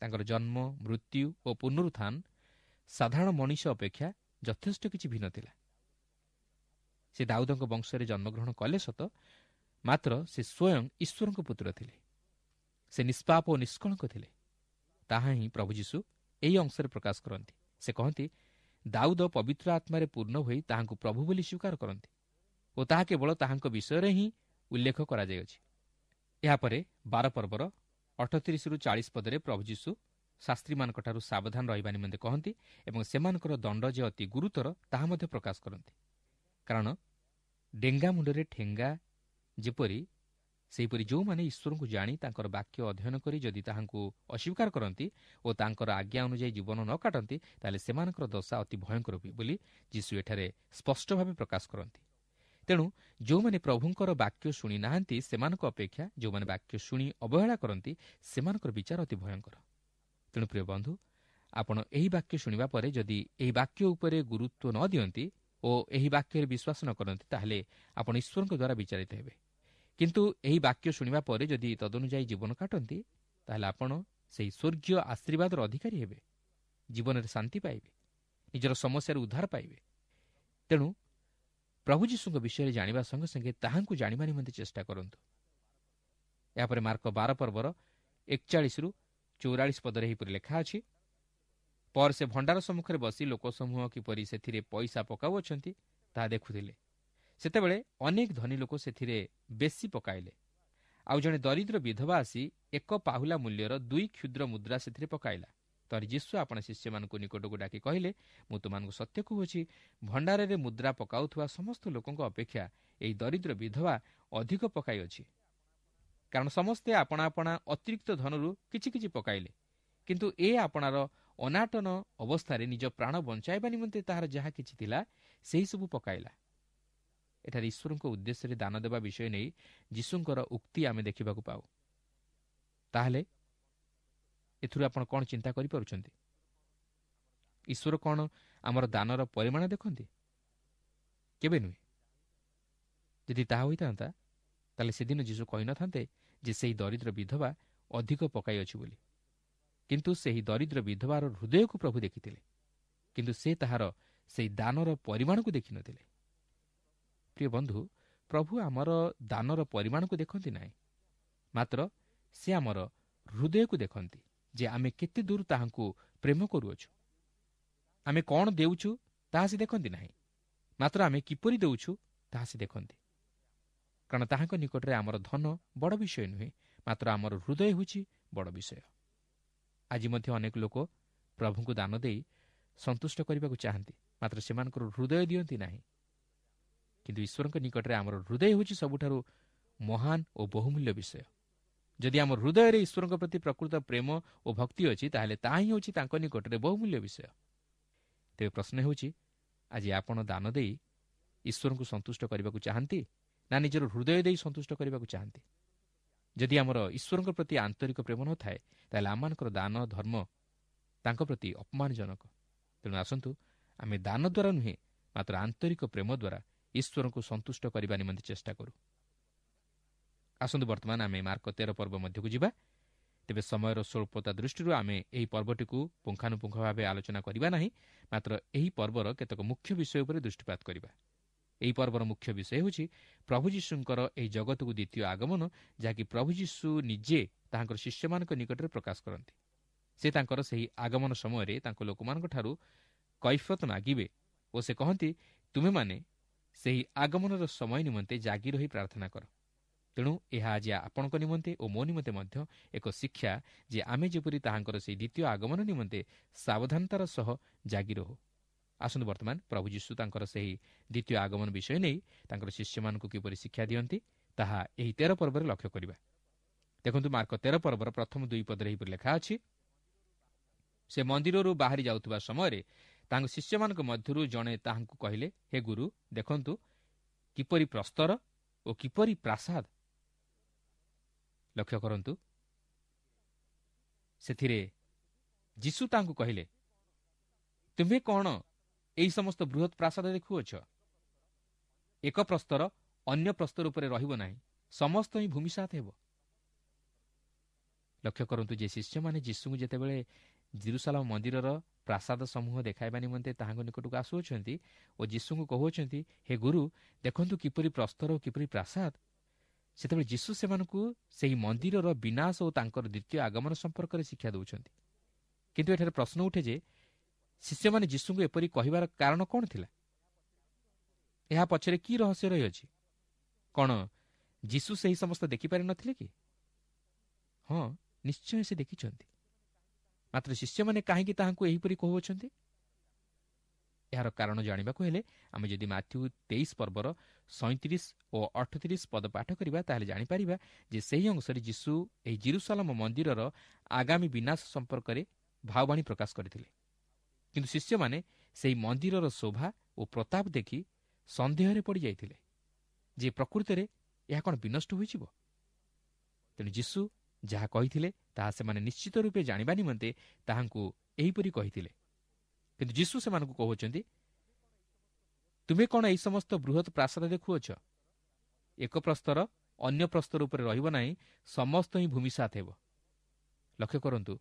ତାଙ୍କର ଜନ୍ମ, ମୃତ୍ୟୁ ଓ ପୁନରୁତ୍ଥାନ ସାଧାରଣ ମଣିଷ ଅପେକ୍ଷା ଯଥେଷ୍ଟ କିଛି ଭିନ୍ନ ଥିଲା। ସେ ଦାଉଦଙ୍କ ବଂଶରେ ଜନ୍ମଗ୍ରହଣ କଲେ ସତ, ମାତ୍ର ସେ ସ୍ୱୟଂ ଈଶ୍ୱରଙ୍କ ପୁତ୍ର ଥିଲେ। ସେ ନିଷ୍ପାପ ଓ ନିଷ୍କଳଙ୍କ ଥିଲେ। ତାହା ହିଁ ପ୍ରଭୁ ଯୀଶୁ ଏହି ଅଂଶରେ ପ୍ରକାଶ କରନ୍ତି। ସେ କହନ୍ତି, ଦାଉଦ ପବିତ୍ର ଆତ୍ମାରେ ପୂର୍ଣ୍ଣ ହୋଇ ତାହାଙ୍କୁ ପ୍ରଭୁ ବୋଲି ସ୍ୱୀକାର କରନ୍ତି ଓ ତାହା କେବଳ ତାହାଙ୍କ ବିଷୟରେ ହିଁ ଉଲ୍ଲେଖ କରାଯାଇଅଛି। ଏହାପରେ 12 ପର୍ବର 38ରୁ 40 ପଦରେ ପ୍ରଭୁ ଯୀଶୁ ଶାସ୍ତ୍ରୀମାନଙ୍କଠାରୁ ସାବଧାନ ରହିବା ନିମନ୍ତେ କହନ୍ତି ଏବଂ ସେମାନଙ୍କର ଦଣ୍ଡ ଯେ ଅତି ଗୁରୁତର ତାହା ମଧ୍ୟ ପ୍ରକାଶ କରନ୍ତି। କାରଣ ଡେଙ୍ଗା ମୁଣ୍ଡରେ ଠେଙ୍ଗା ଯେପରି, ସେହିପରି ଯେଉଁମାନେ ଈଶ୍ୱରଙ୍କୁ ଜାଣି ତାଙ୍କର ବାକ୍ୟ ଅଧ୍ୟୟନ କରି ଯଦି ତାହାଙ୍କୁ ଅସ୍ୱୀକାର କରନ୍ତି ଓ ତାଙ୍କର ଆଜ୍ଞା ଅନୁଯାୟୀ ଜୀବନ ନ କାଟନ୍ତି, ତାହେଲେ ସେମାନଙ୍କର ଦଶା ଅତି ଭୟଙ୍କର ହୁଏ ବୋଲି ଯୀଶୁ ଏଠାରେ ସ୍ପଷ୍ଟ ଭାବେ ପ୍ରକାଶ କରନ୍ତି। ତେଣୁ ଯେଉଁମାନେ ପ୍ରଭୁଙ୍କର ବାକ୍ୟ ଶୁଣି ନାହାନ୍ତି, ସେମାନଙ୍କ ଅପେକ୍ଷା ଯେଉଁମାନେ ବାକ୍ୟ ଶୁଣି ଅବହେଳା କରନ୍ତି, ସେମାନଙ୍କର ବିଚାର ଅତି ଭୟଙ୍କର। ତେଣୁ ପ୍ରିୟ ବନ୍ଧୁ, ଆପଣ ଏହି ବାକ୍ୟ ଶୁଣିବା ପରେ ଯଦି ଏହି ବାକ୍ୟ ଉପରେ ଗୁରୁତ୍ୱ ନ ଦିଅନ୍ତି ଓ ଏହି ବାକ୍ୟରେ ବିଶ୍ୱାସ ନ କରନ୍ତି, ତାହେଲେ ଆପଣ ଈଶ୍ୱରଙ୍କ ଦ୍ୱାରା ବିଚାରିତ ହେବେ। କିନ୍ତୁ ଏହି ବାକ୍ୟ ଶୁଣିବା ପରେ ଯଦି ତଦନୁଯାୟୀ ଜୀବନ କାଟନ୍ତି, ତାହେଲେ ଆପଣ ସେହି ସ୍ୱର୍ଗୀୟ ଆଶୀର୍ବାଦର ଅଧିକାରୀ ହେବେ, ଜୀବନରେ ଶାନ୍ତି ପାଇବେ, ନିଜର ସମସ୍ୟାରୁ ଉଦ୍ଧାର ପାଇବେ। ତେଣୁ ପ୍ରଭୁ ଯୀଶୁଙ୍କ ବିଷୟରେ ଜାଣିବା ସଙ୍ଗେ ସଙ୍ଗେ ତାହାଙ୍କୁ ଜାଣିବା ନିମନ୍ତେ ଚେଷ୍ଟା କରନ୍ତୁ। ଏହାପରେ ମାର୍କ 12 ପର୍ବର 41ରୁ 44 ପଦରେ ଏହିପରି ଲେଖା ଅଛି, ପରେ ସେ ଭଣ୍ଡାର ସମ୍ମୁଖରେ ବସି ଲୋକସମୂହ କିପରି ସେଥିରେ ପଇସା ପକାଉଅଛନ୍ତି ତାହା ଦେଖୁଥିଲେ। ସେତେବେଳେ ଅନେକ ଧନୀ ଲୋକ ସେଥିରେ ବେଶୀ ପକାଇଲେ। ଆଉ ଜଣେ ଦରିଦ୍ର ବିଧବା ଆସି ଏକ ପାହୁଲା ମୂଲ୍ୟର 2 କ୍ଷୁଦ୍ର ମୁଦ୍ରା ସେଥିରେ ପକାଇଲା। ତରି ଯୀଶୁ ଆପଣା ଶିଷ୍ୟମାନଙ୍କୁ ନିକଟକୁ ଡାକି କହିଲେ, ମୁଁ ତୁମମାନଙ୍କୁ ସତ୍ୟ କହୁଅଛି, ଭଣ୍ଡାରରେ ମୁଦ୍ରା ପକାଉଥିବା ସମସ୍ତ ଲୋକଙ୍କ ଅପେକ୍ଷା ଏହି ଦରିଦ୍ର ବିଧବା ଅଧିକ ପକାଇଅଛି। କାରଣ ସମସ୍ତେ ଆପଣା ଆପଣା ଅତିରିକ୍ତ ଧନରୁ କିଛି କିଛି ପକାଇଲେ, କିନ୍ତୁ ଏ ଆପଣାର ଅନାଟନ ଅବସ୍ଥାରେ ନିଜ ପ୍ରାଣ ବଞ୍ଚାଇବା ନିମନ୍ତେ ତାହାର ଯାହା କିଛି ଥିଲା ସେହିସବୁ ପକାଇଲା। ଏଠାରେ ଈଶ୍ୱରଙ୍କ ଉଦ୍ଦେଶ୍ୟରେ ଦାନ ଦେବା ବିଷୟ ନେଇ ଯୀଶୁଙ୍କର ଉକ୍ତି ଆମେ ଦେଖିବାକୁ ପାଉ। ତାହେଲେ ଏଥିରୁ ଆପଣ କ'ଣ ଚିନ୍ତା କରିପାରୁଛନ୍ତି? ଈଶ୍ୱର କ'ଣ ଆମର ଦାନର ପରିମାଣ ଦେଖନ୍ତି? କେବେ ନୁହେଁ। ଯଦି ତାହା ହୋଇଥାନ୍ତା, ତାହେଲେ ସେଦିନ ଯୀଶୁ କହିନଥାନ୍ତେ ଯେ ସେହି ଦରିଦ୍ର ବିଧବା ଅଧିକ ପକାଇଅଛି ବୋଲି। କିନ୍ତୁ ସେହି ଦରିଦ୍ର ବିଧବାର ହୃଦୟକୁ ପ୍ରଭୁ ଦେଖିଥିଲେ, କିନ୍ତୁ ସେ ତାହାର ସେହି ଦାନର ପରିମାଣକୁ ଦେଖିନଥିଲେ। ପ୍ରିୟ ବନ୍ଧୁ, ପ୍ରଭୁ ଆମର ଦାନର ପରିମାଣକୁ ଦେଖନ୍ତି ନାହିଁ, ମାତ୍ର ସେ ଆମର ହୃଦୟକୁ ଦେଖନ୍ତି ଯେ ଆମେ କେତେ ଦୂର ତାହାଙ୍କୁ ପ୍ରେମ କରୁଅଛୁ। ଆମେ କ'ଣ ଦେଉଛୁ ତାହା ସେ ଦେଖନ୍ତି ନାହିଁ, ମାତ୍ର ଆମେ କିପରି ଦେଉଛୁ ତାହା ସେ ଦେଖନ୍ତି। କାରଣ ତାହାଙ୍କ ନିକଟରେ ଆମର ଧନ ବଡ଼ ବିଷୟ ନୁହେଁ, ମାତ୍ର ଆମର ହୃଦୟ ହେଉଛି ବଡ଼ ବିଷୟ। ଆଜି ମଧ୍ୟ ଅନେକ ଲୋକ ପ୍ରଭୁଙ୍କୁ ଦାନ ଦେଇ ସନ୍ତୁଷ୍ଟ କରିବାକୁ ଚାହାନ୍ତି, ମାତ୍ର ସେମାନଙ୍କର ହୃଦୟ ଦିଅନ୍ତି ନାହିଁ। କିନ୍ତୁ ଈଶ୍ୱରଙ୍କ ନିକଟରେ ଆମର ହୃଦୟ ହେଉଛି ସବୁଠାରୁ ମହାନ ଓ ବହୁମୂଲ୍ୟ ବିଷୟ। ଯଦି ଆମ ହୃଦୟରେ ଈଶ୍ୱରଙ୍କ ପ୍ରତି ପ୍ରକୃତ ପ୍ରେମ ଓ ଭକ୍ତି ଅଛି, ତାହେଲେ ତାହା ହିଁ ହେଉଛି ତାଙ୍କ ନିକଟରେ ବହୁମୂଲ୍ୟ ବିଷୟ। ତେବେ ପ୍ରଶ୍ନ ହେଉଛି, ଆଜି ଆପଣ ଦାନ ଦେଇ ଈଶ୍ୱରଙ୍କୁ ସନ୍ତୁଷ୍ଟ କରିବାକୁ ଚାହାନ୍ତି ନା ନିଜର ହୃଦୟ ଦେଇ ସନ୍ତୁଷ୍ଟ କରିବାକୁ ଚାହାନ୍ତି? ଯଦି ଆମର ଈଶ୍ୱରଙ୍କ ପ୍ରତି ଆନ୍ତରିକ ପ୍ରେମ ନଥାଏ, ତାହେଲେ ଆମମାନଙ୍କର ଦାନ ଧର୍ମ ତାଙ୍କ ପ୍ରତି ଅପମାନଜନକ। ତେଣୁ ଆସନ୍ତୁ ଆମେ ଦାନ ଦ୍ୱାରା ନୁହେଁ, ମାତ୍ର ଆନ୍ତରିକ ପ୍ରେମ ଦ୍ୱାରା ଈଶ୍ୱରଙ୍କୁ ସନ୍ତୁଷ୍ଟ କରିବା ନିମନ୍ତେ ଚେଷ୍ଟା କରୁ। ଆସନ୍ତୁ ବର୍ତ୍ତମାନ ଆମେ ମାର୍କ 13 ପର୍ବ ମଧ୍ୟକୁ ଯିବା। ତେବେ ସମୟର ସ୍ୱଳ୍ପତା ଦୃଷ୍ଟିରୁ ଆମେ ଏହି ପର୍ବଟିକୁ ପୁଙ୍ଖାନୁପୁଙ୍ଖ ଭାବେ ଆଲୋଚନା କରିବା ନାହିଁ, ମାତ୍ର ଏହି ପର୍ବର କେତେକ ମୁଖ୍ୟ ବିଷୟ ଉପରେ ଦୃଷ୍ଟିପାତ କରିବା। ଏହି ପର୍ବର ମୁଖ୍ୟ ବିଷୟ ହେଉଛି ପ୍ରଭୁ ଯୀଶୁଙ୍କର ଏହି ଜଗତକୁ ଦ୍ୱିତୀୟ ଆଗମନ, ଯାହାକି ପ୍ରଭୁ ଯୀଶୁ ନିଜେ ତାହାଙ୍କର ଶିଷ୍ୟମାନଙ୍କ ନିକଟରେ ପ୍ରକାଶ କରନ୍ତି। ସେ ତାଙ୍କର ସେହି ଆଗମନ ସମୟରେ ତାଙ୍କ ଲୋକମାନଙ୍କଠାରୁ କୈଫିୟତ ମାଗିବେ ଓ ସେ କହନ୍ତି, ତୁମେମାନେ ସେହି ଆଗମନର ସମୟ ନିମନ୍ତେ ଜାଗି ରହି ପ୍ରାର୍ଥନା କର। ତେଣୁ ଏହା ଆଜି ଆପଣଙ୍କ ନିମନ୍ତେ ଓ ମୋ ନିମନ୍ତେ ମଧ୍ୟ ଏକ ଶିକ୍ଷା ଯେ ଆମେ ଯେପରି ତାହାଙ୍କର ସେହି ଦ୍ୱିତୀୟ ଆଗମନ ନିମନ୍ତେ ସାବଧାନତାର ସହ ଜାଗି ରହୁ। ଆସନ୍ତୁ ବର୍ତ୍ତମାନ ପ୍ରଭୁ ଯୀଶୁ ତାଙ୍କର ସେହି ଦ୍ୱିତୀୟ ଆଗମନ ବିଷୟ ନେଇ ତାଙ୍କର ଶିଷ୍ୟମାନଙ୍କୁ କିପରି ଶିକ୍ଷା ଦିଅନ୍ତି ତାହା ଏହି 13 ପର୍ବରେ ଲକ୍ଷ୍ୟ କରିବା। ଦେଖନ୍ତୁ, ମାର୍କ 13 ପର୍ବର ପ୍ରଥମ 2 ପଦରେ ଏହିପରି ଲେଖା ଅଛି, ସେ ମନ୍ଦିରରୁ ବାହାରି ଯାଉଥିବା ସମୟରେ ତାଙ୍କ ଶିଷ୍ୟମାନଙ୍କ ମଧ୍ୟରୁ ଜଣେ ତାହାଙ୍କୁ କହିଲେ, ହେ ଗୁରୁ, ଦେଖନ୍ତୁ କିପରି ପ୍ରସ୍ତର ଓ କିପରି ପ୍ରାସାଦ। ଲକ୍ଷ୍ୟ କରନ୍ତୁ, ସେଥିରେ ଯୀଶୁ ତାଙ୍କୁ କହିଲେ, ତୁମ୍ଭେ କ'ଣ ଏହି ସମସ୍ତ ବୃହତ୍ ପ୍ରାସାଦ ଦେଖୁଅଛ? ଏକ ପ୍ରସ୍ତର ଅନ୍ୟ ପ୍ରସ୍ତର ଉପରେ ରହିବ ନାହିଁ, ସମସ୍ତ ହିଁ ଭୂମିସାତ ହେବ। ଲକ୍ଷ୍ୟ କରନ୍ତୁ ଯେ ଶିଷ୍ୟମାନେ ଯୀଶୁଙ୍କୁ ଯେତେବେଳେ ଜିରୁସାଲମ ମନ୍ଦିରର ପ୍ରାସାଦ ସମୂହ ଦେଖାଇବା ନିମନ୍ତେ ତାହାଙ୍କ ନିକଟକୁ ଆସୁଅଛନ୍ତି ଓ ଯୀଶୁଙ୍କୁ କହୁଅଛନ୍ତି, ହେ ଗୁରୁ, ଦେଖନ୍ତୁ କିପରି ପ୍ରସ୍ତର ଓ କିପରି ପ୍ରାସାଦ, ସେତେବେଳେ ଯୀଶୁ ସେମାନଙ୍କୁ ସେହି ମନ୍ଦିରର ବିନାଶ ଓ ତାଙ୍କର ଦ୍ୱିତୀୟ ଆଗମନ ସମ୍ପର୍କରେ ଶିକ୍ଷା ଦେଉଛନ୍ତି। କିନ୍ତୁ ଏଠାରେ ପ୍ରଶ୍ନ ଉଠେ ଯେ ଶିଷ୍ୟମାନେ ଯୀଶୁଙ୍କୁ ଏପରି କହିବାର କାରଣ କ'ଣ ଥିଲା? ଏହା ପଛରେ କି ରହସ୍ୟ ରହିଅଛି? କ'ଣ ଯୀଶୁ ସେହି ସମସ୍ତ ଦେଖିପାରିନଥିଲେ କି? ହଁ, ନିଶ୍ଚୟ ସେ ଦେଖିଛନ୍ତି। ମାତ୍ର ଶିଷ୍ୟମାନେ କାହିଁକି ତାହାଙ୍କୁ ଏହିପରି କହୁଅଛନ୍ତି? ଏହାର କାରଣ ଜାଣିବାକୁ ହେଲେ ଆମେ ଯଦି ମାଥ୍ୟୁ 23 ପର୍ବର 37 ଓ 38 ପଦ ପାଠ କରିବା, ତାହେଲେ ଜାଣିପାରିବା ଯେ ସେହି ଅଂଶରେ ଯୀଶୁ ଏହି ଜିରୁସାଲମ ମନ୍ଦିରର ଆଗାମୀ ବିନାଶ ସମ୍ପର୍କରେ ଭାବବାଣୀ ପ୍ରକାଶ କରିଥିଲେ। କିନ୍ତୁ ଶିଷ୍ୟମାନେ ସେହି ମନ୍ଦିରର ଶୋଭା ଓ ପ୍ରତାପ ଦେଖି ସନ୍ଦେହରେ ପଡ଼ିଯାଇଥିଲେ ଯେ ପ୍ରକୃତରେ ଏହା କ'ଣ ବିନଷ୍ଟ ହୋଇଯିବ। ତେଣୁ ଯୀଶୁ ଯାହା କହିଥିଲେ ତାହା ସେମାନେ ନିଶ୍ଚିତ ରୂପେ ଜାଣିବା ନିମନ୍ତେ ତାହାଙ୍କୁ ଏହିପରି କହିଥିଲେ। କିନ୍ତୁ ଯୀଶୁ ସେମାନଙ୍କୁ କହୁଛନ୍ତି, ତୁମେ କ'ଣ ଏହି ସମସ୍ତ ବୃହତ୍ ପ୍ରାସାଦ ଦେଖୁଅଛ? ଏକ ପ୍ରସ୍ତର ଅନ୍ୟ ପ୍ରସ୍ତର ଉପରେ ରହିବ ନାହିଁ, ସମସ୍ତ ହିଁ ଭୂମିସାତ ହେବ। ଲକ୍ଷ୍ୟ କରନ୍ତୁ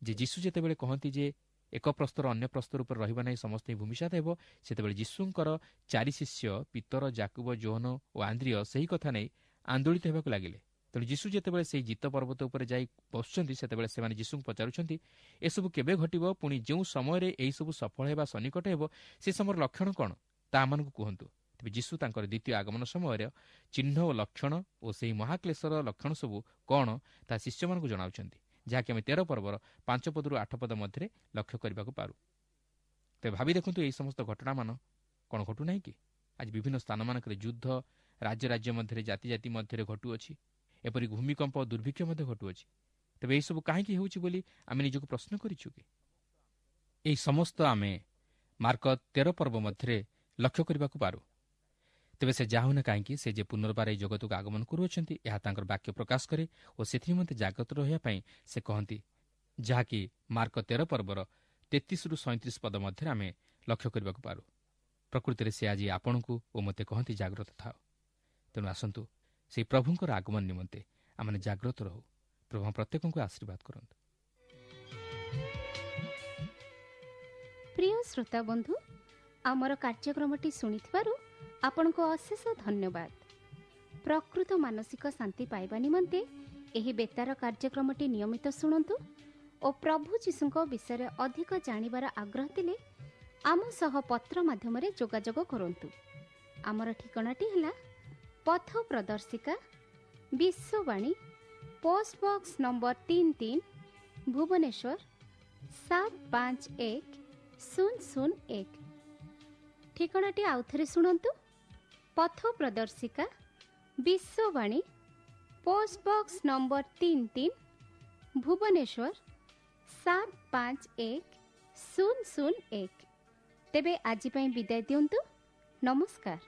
ଯେ ଯୀଶୁ ଯେତେବେଳେ କହନ୍ତି ଯେ ଏକ ପ୍ରସ୍ତର ଅନ୍ୟ ପ୍ରସ୍ତର ଉପରେ ରହିବ ନାହିଁ, ସମସ୍ତ ହିଁ ଭୂମିସାତ ହେବ, ସେତେବେଳେ ଯୀଶୁଙ୍କର 4 ଶିଷ୍ୟ ପିତର, ଜାକୁବ, ଯୋହନ ଓ ଆନ୍ଦ୍ରିୟ ସେହି କଥା ନେଇ ଆନ୍ଦୋଳିତ ହେବାକୁ ଲାଗିଲେ। ତେଣୁ ଯୀଶୁ ଯେତେବେଳେ ସେହି ଜିତ ପର୍ବତ ଉପରେ ଯାଇ ବସୁଛନ୍ତି, ସେତେବେଳେ ସେମାନେ ଯୀଶୁଙ୍କୁ ପଚାରୁଛନ୍ତି, ଏସବୁ କେବେ ଘଟିବ? ପୁଣି ଯେଉଁ ସମୟରେ ଏହିସବୁ ସଫଳ ହେବା ସନ୍ନିକଟ ହେବ, ସେ ସମୟର ଲକ୍ଷଣ କ'ଣ ତାହା ଆମମାନଙ୍କୁ କୁହନ୍ତୁ। ତେବେ ଯୀଶୁ ତାଙ୍କର ଦ୍ୱିତୀୟ ଆଗମନ ସମୟରେ ଚିହ୍ନ ଓ ଲକ୍ଷଣ ଓ ସେହି ମହାକ୍ଲେଶର ଲକ୍ଷଣ ସବୁ କ'ଣ ତାହା ଶିଷ୍ୟମାନଙ୍କୁ ଜଣାଉଛନ୍ତି, ଯାହାକି ଆମେ 13 ପର୍ବର 5 ପଦରୁ 8 ପଦ ମଧ୍ୟରେ ଲକ୍ଷ୍ୟ କରିବାକୁ ପାରୁ। ତେବେ ଭାବି ଦେଖନ୍ତୁ, ଏହି ସମସ୍ତ ଘଟଣାମାନ କ'ଣ ଘଟୁନାହିଁ କି? ଆଜି ବିଭିନ୍ନ ସ୍ଥାନମାନଙ୍କରେ ଯୁଦ୍ଧ ରାଜ୍ୟ ରାଜ୍ୟ ମଧ୍ୟରେ, ଜାତି ଜାତି ମଧ୍ୟରେ ଘଟୁଅଛି। ଏପରି ଭୂମିକମ୍ପ, ଦୁର୍ଭିକ୍ଷ ମଧ୍ୟ ଘଟୁଅଛି। ତେବେ ଏହିସବୁ କାହିଁକି ହେଉଛି ବୋଲି ଆମେ ନିଜକୁ ପ୍ରଶ୍ନ କରିଛୁ କି? ଏହି ସମସ୍ତ ଆମେ ମାର୍କ 13 ପର୍ବ ମଧ୍ୟରେ ଲକ୍ଷ୍ୟ କରିବାକୁ ପାରୁ। ତେବେ ସେ ଯାହା ହେଉନା କାହିଁକି, ସେ ଯେ ପୁନର୍ବାର ଏହି ଜଗତକୁ ଆଗମନ କରୁଅଛନ୍ତି, ଏହା ତାଙ୍କର ବାକ୍ୟ ପ୍ରକାଶ କରେ ଓ ସେଥିନିମନ୍ତେ ଜାଗ୍ରତ ରହିବା ପାଇଁ ସେ କହନ୍ତି, ଯାହାକି ମାର୍କ 13 ପର୍ବର 33ରୁ 37 ପଦ ମଧ୍ୟରେ ଆମେ ଲକ୍ଷ୍ୟ କରିବାକୁ ପାରୁ। ପ୍ରକୃତିରେ ସେ ଆଜି ଆପଣଙ୍କୁ ଓ ମୋତେ କହନ୍ତି, ଜାଗ୍ରତ ଥାଅ। ତେଣୁ ଆସନ୍ତୁ ସେହି ପ୍ରଭୁଙ୍କର ଆଗମନ ନିମନ୍ତେ ଆମେ ଜାଗ୍ରତ ରହୁ। ପ୍ରଭୁ ପ୍ରତ୍ୟେକଙ୍କୁ ଆଶୀର୍ବାଦ କରନ୍ତୁ। ପ୍ରିୟ ଶ୍ରୋତା ବନ୍ଧୁ, ଆମର କାର୍ଯ୍ୟକ୍ରମଟି ଶୁଣିଥିବାରୁ ଆପଣଙ୍କୁ ଅଶେଷ ଧନ୍ୟବାଦ। ପ୍ରକୃତ ମାନସିକ ଶାନ୍ତି ପାଇବା ନିମନ୍ତେ ଏହି ବେତାର କାର୍ଯ୍ୟକ୍ରମଟି ନିୟମିତ ଶୁଣନ୍ତୁ ଓ ପ୍ରଭୁ ଯୀଶୁଙ୍କ ବିଷୟରେ ଅଧିକ ଜାଣିବାର ଆଗ୍ରହ ଥିଲେ ଆମ ସହ ପତ୍ର ମାଧ୍ୟମରେ ଯୋଗାଯୋଗ କରନ୍ତୁ। ଆମର ଠିକଣାଟି ହେଲା ପଥ ପ୍ରଦର୍ଶିକା, Vishwavani, post box number 33, Bhubaneswar 751001। ଠିକଣାଟି ଆଉଥରେ ଶୁଣନ୍ତୁ, ପଥ ପ୍ରଦର୍ଶିକା, Vishwavani, post box number 33, Bhubaneswar 751001। ତେବେ ଆଜି ପାଇଁ ବିଦାୟ ଦିଅନ୍ତୁ। ନମସ୍କାର।